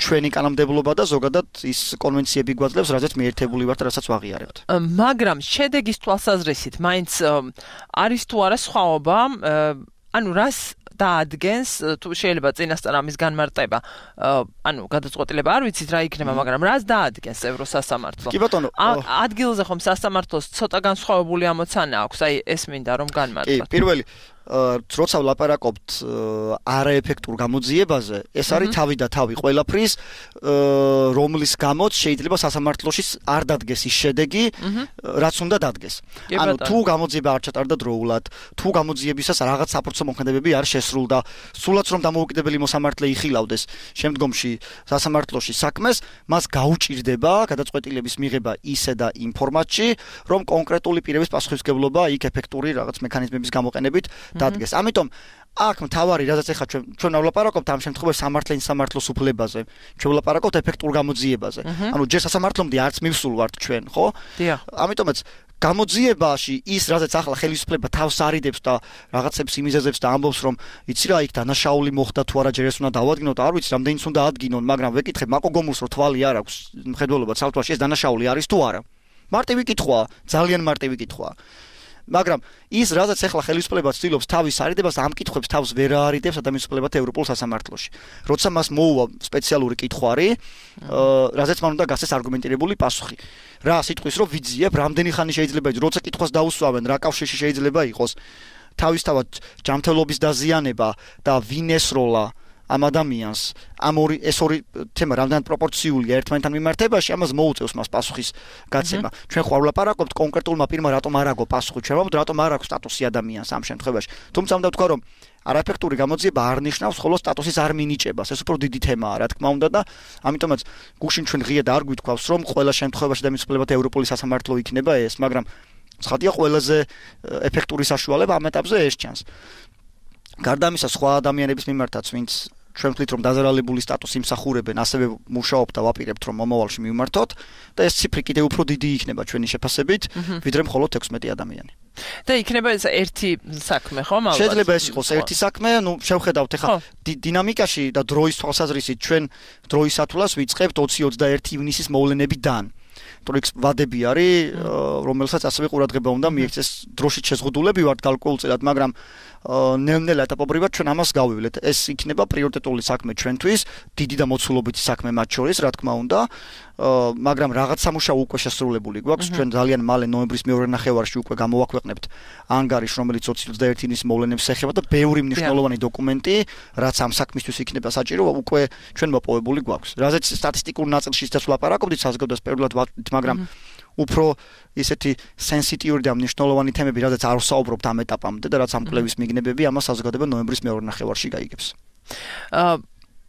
ჩვენი კანონმდებლობა და ზოგადად ის კონვენციები გვაძლევს, რაზეც მიერთებული ვართ, რასაც ვაღიარებთ. მაგრამ შედეგის თვალსაზრისით მაინც არის თუ არა სხვაობა, ანუ რას დაადგენს თუ შეიძლება წინასწარ ამის განმარტება, ანუ გადაწყვეტილება არ ვიცით რა იქნება, მაგრამ რას დაადგენს ევროსასამართლო? კი ბატონო, ადგილზე ხომ სასამართლოს ცოტა განსხვავებული ამოცანა აქვს, აი ეს მინდა რომ განმარტოთ. კი, პირველი როცა ვლაპარაკობთ არაეფექტურ გამოძიებაზე, ეს არის თავი და თავი ყველაფრის, რომლის გამოც შეიძლება სასამართლოში არ დადგეს ის შედეგი, რაც უნდა დადგეს. ანუ თუ გამოძიება არ ჩატარდა დროულად, თუ გამოძიებისას რაღაც საპროცესო მოქმედებები არ შესრულდა, სულაც რომ დამოუკიდებელი მოსამართლე იხილავდეს შემდგომში სასამართლოში საქმეს, მას გაუჭირდება გადაწყვეტილების მიღება ისე და იმ ფორმატში, რომ კონკრეტული პირების პასუხისმგებლობა იქ ეფექტური რაღაც მექანიზმების გამოყენებით დადგეს. ამიტომ აქ მთავარი რაზეც ახლა ჩვენ ვლაპარაკობთ ამ შემთხვევაში სამართლის უფლებაზე. ჩვენ ვლაპარაკობთ ეფექტურ გამოძიებაზე. ანუ ჯერ სასამართლომდე არც მივსულ ვართ ჩვენ, ხო? დიახ. ამიტომაც გამოძიებაში ის რაზეც ახლა ხელისუფლება თავს არიდებს და რაღაცებს იმიზეზებს და ამბობს რომ იცი რა იქ დანაშაული მოხდა თუ არა ჯერ ეს უნდა დავადგინოთ, არ ვიცი რამდენიც უნდა ადგინონ, მაგრამ ვეკითხებ მაკო გომულს რომ თვალი არ აქვს მხედველობა ცალთვალში ეს დანაშაული არის თუ არა. მარტივი კითხვაა, ძალიან მარტივი კითხვაა. მაგრამ ის რაზეც ახლა ხელისუფლება ცდილობს თავის არიდებას ამ კითხვებს თავს ვერ არიდებს ადამიანის უფლებათა ევროპულ სასამართლოში. როცა მას მოუვა სპეციალური კითხვარი, რაზეც მან უნდა გასცეს არგუმენტირებული პასუხი. რა სიტყვის რომ ვიძიებ, რამდენი ხანი შეიძლება ის, როცა კითხვას დაუსვამენ, რა კავშირში შეიძლება იყოს თავისთავად ჯანმრთელობის დაზიანება და ვინ ესროლა ამ ადამიანს, ეს ორი თემა რამდენად პროპორციულია ერთმანეთთან მიმართებაში, ამას მოუწევს მას პასუხის გაცემა. ჩვენ ხო არ ვლაპარაკობთ კონკრეტულმა პირმა რატომ არ აგო პასუხი, ჩვენ ვამბობთ რატომ არ აქვს სტატუსი ადამიანს ამ შემთხვევაში. თუმცა უნდა ვთქვა რომ არაეფექტური გამოძიება არ ნიშნავს ხოლო სტატუსის არ მინიჭებას. ეს უფრო დიდი თემაა, რა თქმა უნდა და ამიტომაც გუშინ ჩვენ ღიად არ გვითქვავს რომ ყველა შემთხვევაში ადამიანის უფლებათა ევროპული სასამართლო იქნება ეს, მაგრამ ცხადია ყველაზე ეფექტური საშუალება ამ ეტაპზე ეს ჩანს. გარდა ამისა სხვა ადამიანების მიმართაც ვინც ჩვენ ვთვლით რომ დაზარალებული სტატუსი იმსახურებენ, ასევე მუშაობთ და ვაპირებთ რომ მომავალში მივმართოთ და ეს ციფრი კიდევ უფრო დიდი იქნება ჩვენი შეფასებით, ვიდრე მხოლოდ 16 ადამიანი. და იქნება ეს ერთი საქმე, ხო, ალბათ? შეიძლება ეს იყოს ერთი საქმე, ნუ შევხედავთ ახლა დინამიკაში და დროის თვალსაზრისით ჩვენ დროის სათვლას ვიწყებთ 20-21 ივნისის მოვლენებიდან. თორემ ვადები არის, რომელსაც ასევე ყურადღება უნდა მიექცეს დროშით შეზღუდულები ვართ გარკვეულწილად, მაგრამ ნელ-ნელა ეტაპობრივად ჩვენ ამას გავივლეთ. ეს იქნება პრიორიტეტული საქმე ჩვენთვის, დიდი და მოცულობითი საქმე მათ შორის, რა თქმა უნდა, მაგრამ რაღაც სამუშაო უკვე შესრულებული გვაქვს. ჩვენ ძალიან მალე ნოემბრის მეორე ნახევარში უკვე გამოვაქვეყნებთ ანგარიშს, რომელიც 2021 ივნისის მოვლენებს ეხება და ბევრი მნიშვნელოვანი დოკუმენტი, რაც ამ საქმისთვის იქნება საჭირო, უკვე ჩვენ მოპოვებული გვაქვს. რაზეც სტატისტიკურ ნაწილში ისიც ვლაპარაკობდით საზოგადოებას პერიოდულად, მაგრამ უფრო ისეთი სენსიტიური და მნიშვნელოვანი თემები, რადგან არ ვსაუბრობთ ამ ეტაპამდე და რაც ამ კვლევის მიგნებები ამას საზოგადოება ნოემბრის მეორე ნახევარში გაიგებს.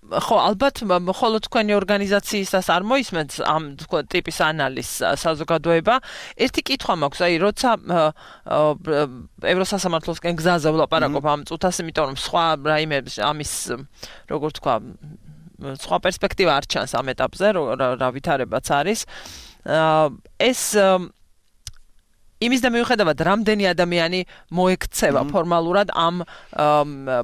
ხო, ალბათ მხოლოდ თქვენი ორგანიზაციისას არ მოისმენთ ამ თქვა ტიპის ანალიზს საზოგადოება. ერთი კითხვა მაქვს, აი, როცა ევროსასამართლოსკენ გზაზე ვლაპარაკობ ამ წუთას, იმიტომ რომ სხვა რაიმე ამის როგორ თქვა სხვა პერსპექტივა არ ჩანს ამ ეტაპზე, რა ვითარებაც არის. ეს იმის და მიუხედავად რამდენი ადამიანი მოექცევა ფორმალურად ამ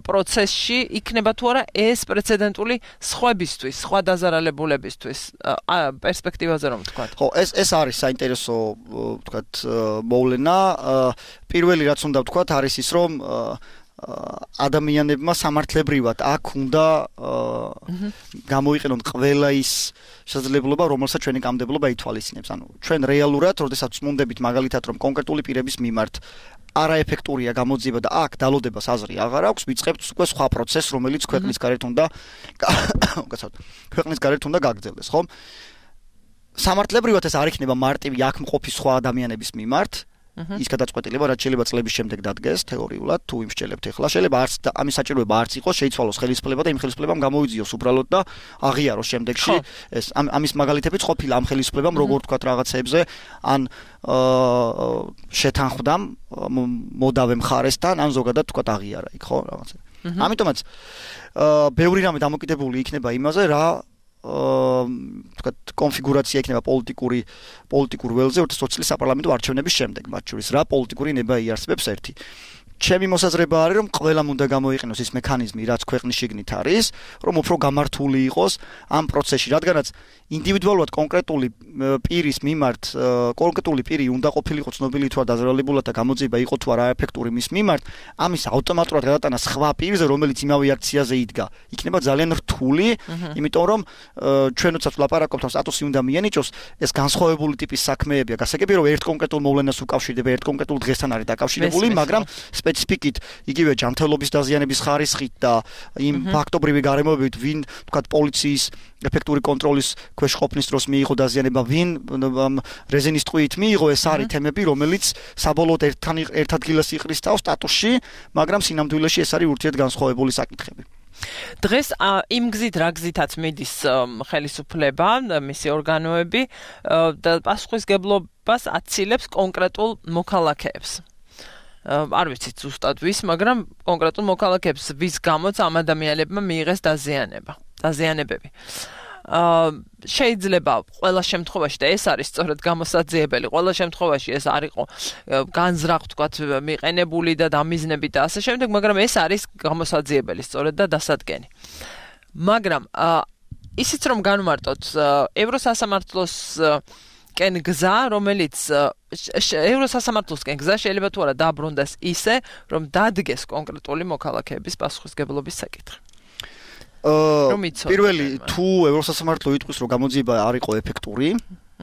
პროცესში, იქნება თუ არა ეს პრეცედენტული სხვებისთვის, სხვა დაზარალებულებისთვის პერსპექტივაზე რომ ვთქვათ. ხო, ეს არის საინტერესო ვთქვათ მოვლენა. პირველი რაც უნდა ვთქვათ არის ის რომ ადამიანებმა სამართლებრივად აქ უნდა გამოიყენონ ყველა ის შესაძლებლობა, რომელსაც ჩვენი კანონმდებლობა ითვალისწინებს. ანუ ჩვენ რეალურად, როდესაც წმუნდებით მაგალითად რომ კონკრეტული პირების მიმართ არაეფექტურია გამოძიება და აქ დალოდებას აზრი აღარ აქვს, ვიწყებთ უკვე სხვა პროცესს, რომელიც ქვეყნის გარეთ უნდა გაგრძელდეს, ხო? სამართლებრივად ეს არ იქნება მარტივი აქ მყოფი სხვა ადამიანების მიმართ. ის გადაწყვეტილება რაც შეიძლება წლების შემდეგ დადგეს თეორიულად თუ იმ შელებთ ახლა შეიძლება არც ამის საჭიროება არც იყოს შეიცვალოს ხელისუფლება და იმ ხელისუფლებამ გამოიძიოს უბრალოდ და აღიაროს შემდეგში ეს ამის მაგალითებიც ყოფილა ამ ხელისუფლებამ როგორ თქვა რაღაცეებზე ან შეთანხმდა მოდავე მხარესთან ან ზოგადად თქვა აღიარა იქ ხო რაღაცა ამიტომაც ბევრი რამე დამოკიდებული იქნება იმაზე რა თქვათ კონფიგურაცია იქნება პოლიტიკურ ველზე 2020 წლის საპარლამენტო არჩევნების შემდეგ მათ შორის რა პოლიტიკური ნება იარსებებს ერთი ჩემი მოსაზრება არის რომ ყველამ უნდა გამოიყენოს ის მექანიზმი რაც ქვეყნის შიგნით არის რომ უფრო გამართული იყოს ამ პროცესში რადგანაც ინდივიდუალურად კონკრეტული პირის მიმართ კონკრეტული პირი უნდა ყოფილიყო ცნობილი თუ არ დაზარალებულად და გამოძიება იყო თუ არა ეფექტური მის მიმართ ამის ავტომატურად გადატანა სხვა პირზე რომელიც იმავე აქციაზე იდგა იქნება ძალიან რთული იმიტომ რომ ჩვენ როდესაც ვლაპარაკობთ ამ სტატუსი უნდა მიენიჭოს ეს განსხვავებული ტიპის საქმეებია გასაგებია რომ ერთ კონკრეტულ მოვლენას უკავშირდება ერთ კონკრეტულ დღესთან არის დაკავშირებული მაგრამ სპეციფიკით იგივე ჯანმრთელობის დაზიანების ხარისხით და იმ ფაქტობრივი გარემოებით ვინ თქვათ პოლიციის ეფექტური კონტროლის ქვეშ ყოფნის დროს მიიღო დაზიანება ვინ რეზინის ტყვიით მიიღო ეს არის თემები რომელიც საბოლოოდ ერთ ადგილას იყრის თავს სტატუსში მაგრამ სინამდვილეში ეს არის ურთიერთგანსხვავებული საკითხები დღეს იმ გზით რა გზითაც მიდის ხელისუფლება მისი ორგანოები და პასუხისგებლობას აცილებს კონკრეტულ მოქალაქეებს არ ვიცით ზუსტად ვის, მაგრამ კონკრეტულ მოქალაქეებს ვის გამოც ამ ადამიანებმა მიიღეს დაზიანებები. შეიძლება ყველა შემთხვევაში და ეს არის სწორედ გამოსაძიებელი, ყველა შემთხვევაში ეს არ იყო განზრახ თქვათ მიყენებული და დამიზნები და ასე შემდეგ, მაგრამ ეს არის გამოსაძიებელი სწორედ და დასადგენი. მაგრამ ისიც რომ განვარტოთ ევროსასამართლოს კენ გზა, რომელიც ევროსასამართლოსკენ გზა შეიძლება თუ არა დაბრუნდეს ისე, რომ დადგეს კონკრეტული მოქალაქეების პასუხისგებლობის საკითხი. პირველი თუ ევროსასამართლო იტყვის, რომ გამოძიება არ იყო ეფექტური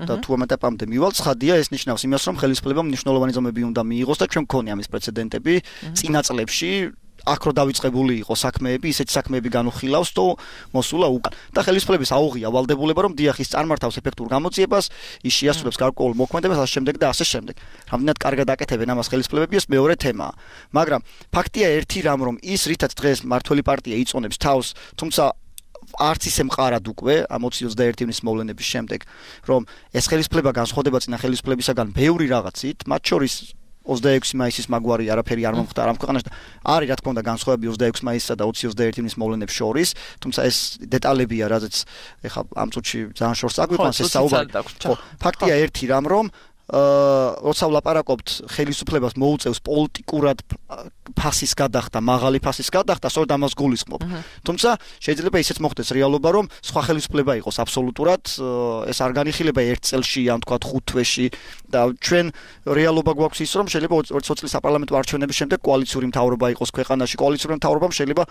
და თუ ამ ეტაპამდე მივალ, ცხადია ეს ნიშნავს იმას, რომ ხელისუფლებამ მნიშვნელოვანი ზომები უნდა მიიღოს და ჩვენ მქონია ამის პრეცედენტები წინა წლებში აქ რო დავიწყებული იყო საქმეები, ისეთი საქმეები განუხილავს თუ მოსულა უკან. და ხელისუფლების აუღია ვალდებულება, რომ დიახ ის წარმართავს ეფექტურ გამოძიებას, ის შეასრულებს გარკვეულ მოქმედებას, ასე შემდეგ და ასე შემდეგ. რამდენად კარგად აკეთებენ ამას ხელისუფლებები, ეს მეორე თემაა. მაგრამ ფაქტია ერთი რამ, რომ ის რითაც დღეს მართველი პარტია იწონებს თავს, თუმცა არც ისე მყარად უკვე ამ 2021 ივნის მოვლენების შემდეგ, რომ ეს ხელისუფლება განსხვავდება წინა ხელისუფლებისაგან ბევრი რაღაცით, მათ შორის 26 მაისის მაგვარი არაფერი არ მომხდარა ამ ქვეყანაში და არის რა თქმა უნდა განსხვავებები 26 მაისსა და 2021 ივნის მოვლენებს შორის, თუმცა ეს დეტალებია, რაზეც ეხლა ამ წუთში ძალიან შორს აგვიყვანს ეს საუბარი. ფაქტია ერთი რამ, რომ როცა ვლაპარაკობთ ხელისუფლებას მოუწევს პოლიტიკურად ფასის გადახდა, მაღალი ფასის გადახდა, სწორედ ამას გულისხმობ. თუმცა შეიძლება ისეც მოხდეს რეალობა, რომ სხვა ხელისუფლება იყოს აბსოლუტურად, ეს არ განიხილება ერთ წელში, ან თქვათ 5 თვეში და ჩვენ რეალობა გვაქვს ის, რომ შეიძლება 2020 წლის საპარლამენტო არჩევნების შემდეგ კოალიციური მთავრობა იყოს ქვეყანაში, კოალიციური მთავრობამ შეიძლება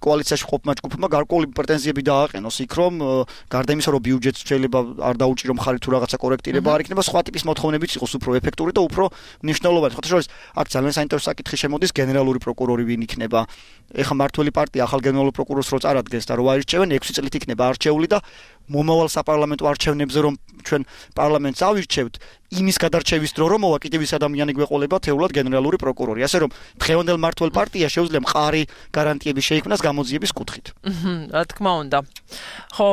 კოალიციაში ყოფმა ჯგუფმა გარკვეული პრეტენზიები დააყენოს იქ რომ გარდა იმისა რომ ბიუჯეტს შეიძლება არ დაუჭირო მხარი თუ რაღაცა კორექტირება არ იქნება სხვა ტიპის მოთხოვნებიც იყოს უფრო ეფექტური და უფრო მნიშვნელოვანი. ხოთა შორის აქ ძალიან საინტერესო საკითხი შემოდის გენერალური პროკურორი ვინ იქნება. ეხლა მართველი პარტია ახალ გენერალურ პროკურორს რო წარადგენს და რო აირჩევენ 6 წლით იქნება არჩეული და მომავალ საპარლამენტო არჩევნებზე რომ ჩვენ პარლამენტს ავირჩევთ, იმის გადარჩევის დრო რომ მოვა კიდევ ის ადამიანი გვეყოლება თეულად გენერალური პროკურორი. ასე რომ დღევანდელ მართლ პარტია შეუძლია მყარი გარანტიები შეიქმნას გამოძიების კუთხით. რა თქმა უნდა. ხო,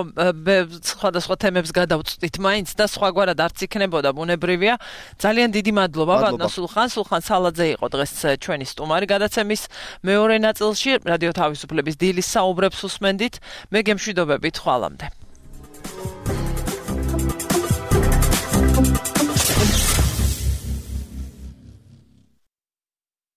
სხვადასხვა თემებს გადავწყვით მაინც და სხვაგვარად არც იქნებოდა ბუნებრივია. ძალიან დიდი მადლობა ბატონო სულხან სალაძე იყო დღეს ჩვენი სტუმარი გადაცემის მეორე ნაწილში რადიო თავისუფლების დილის საუბრებს უსმენდით. მე გემშვიდობებით ხვალამდე.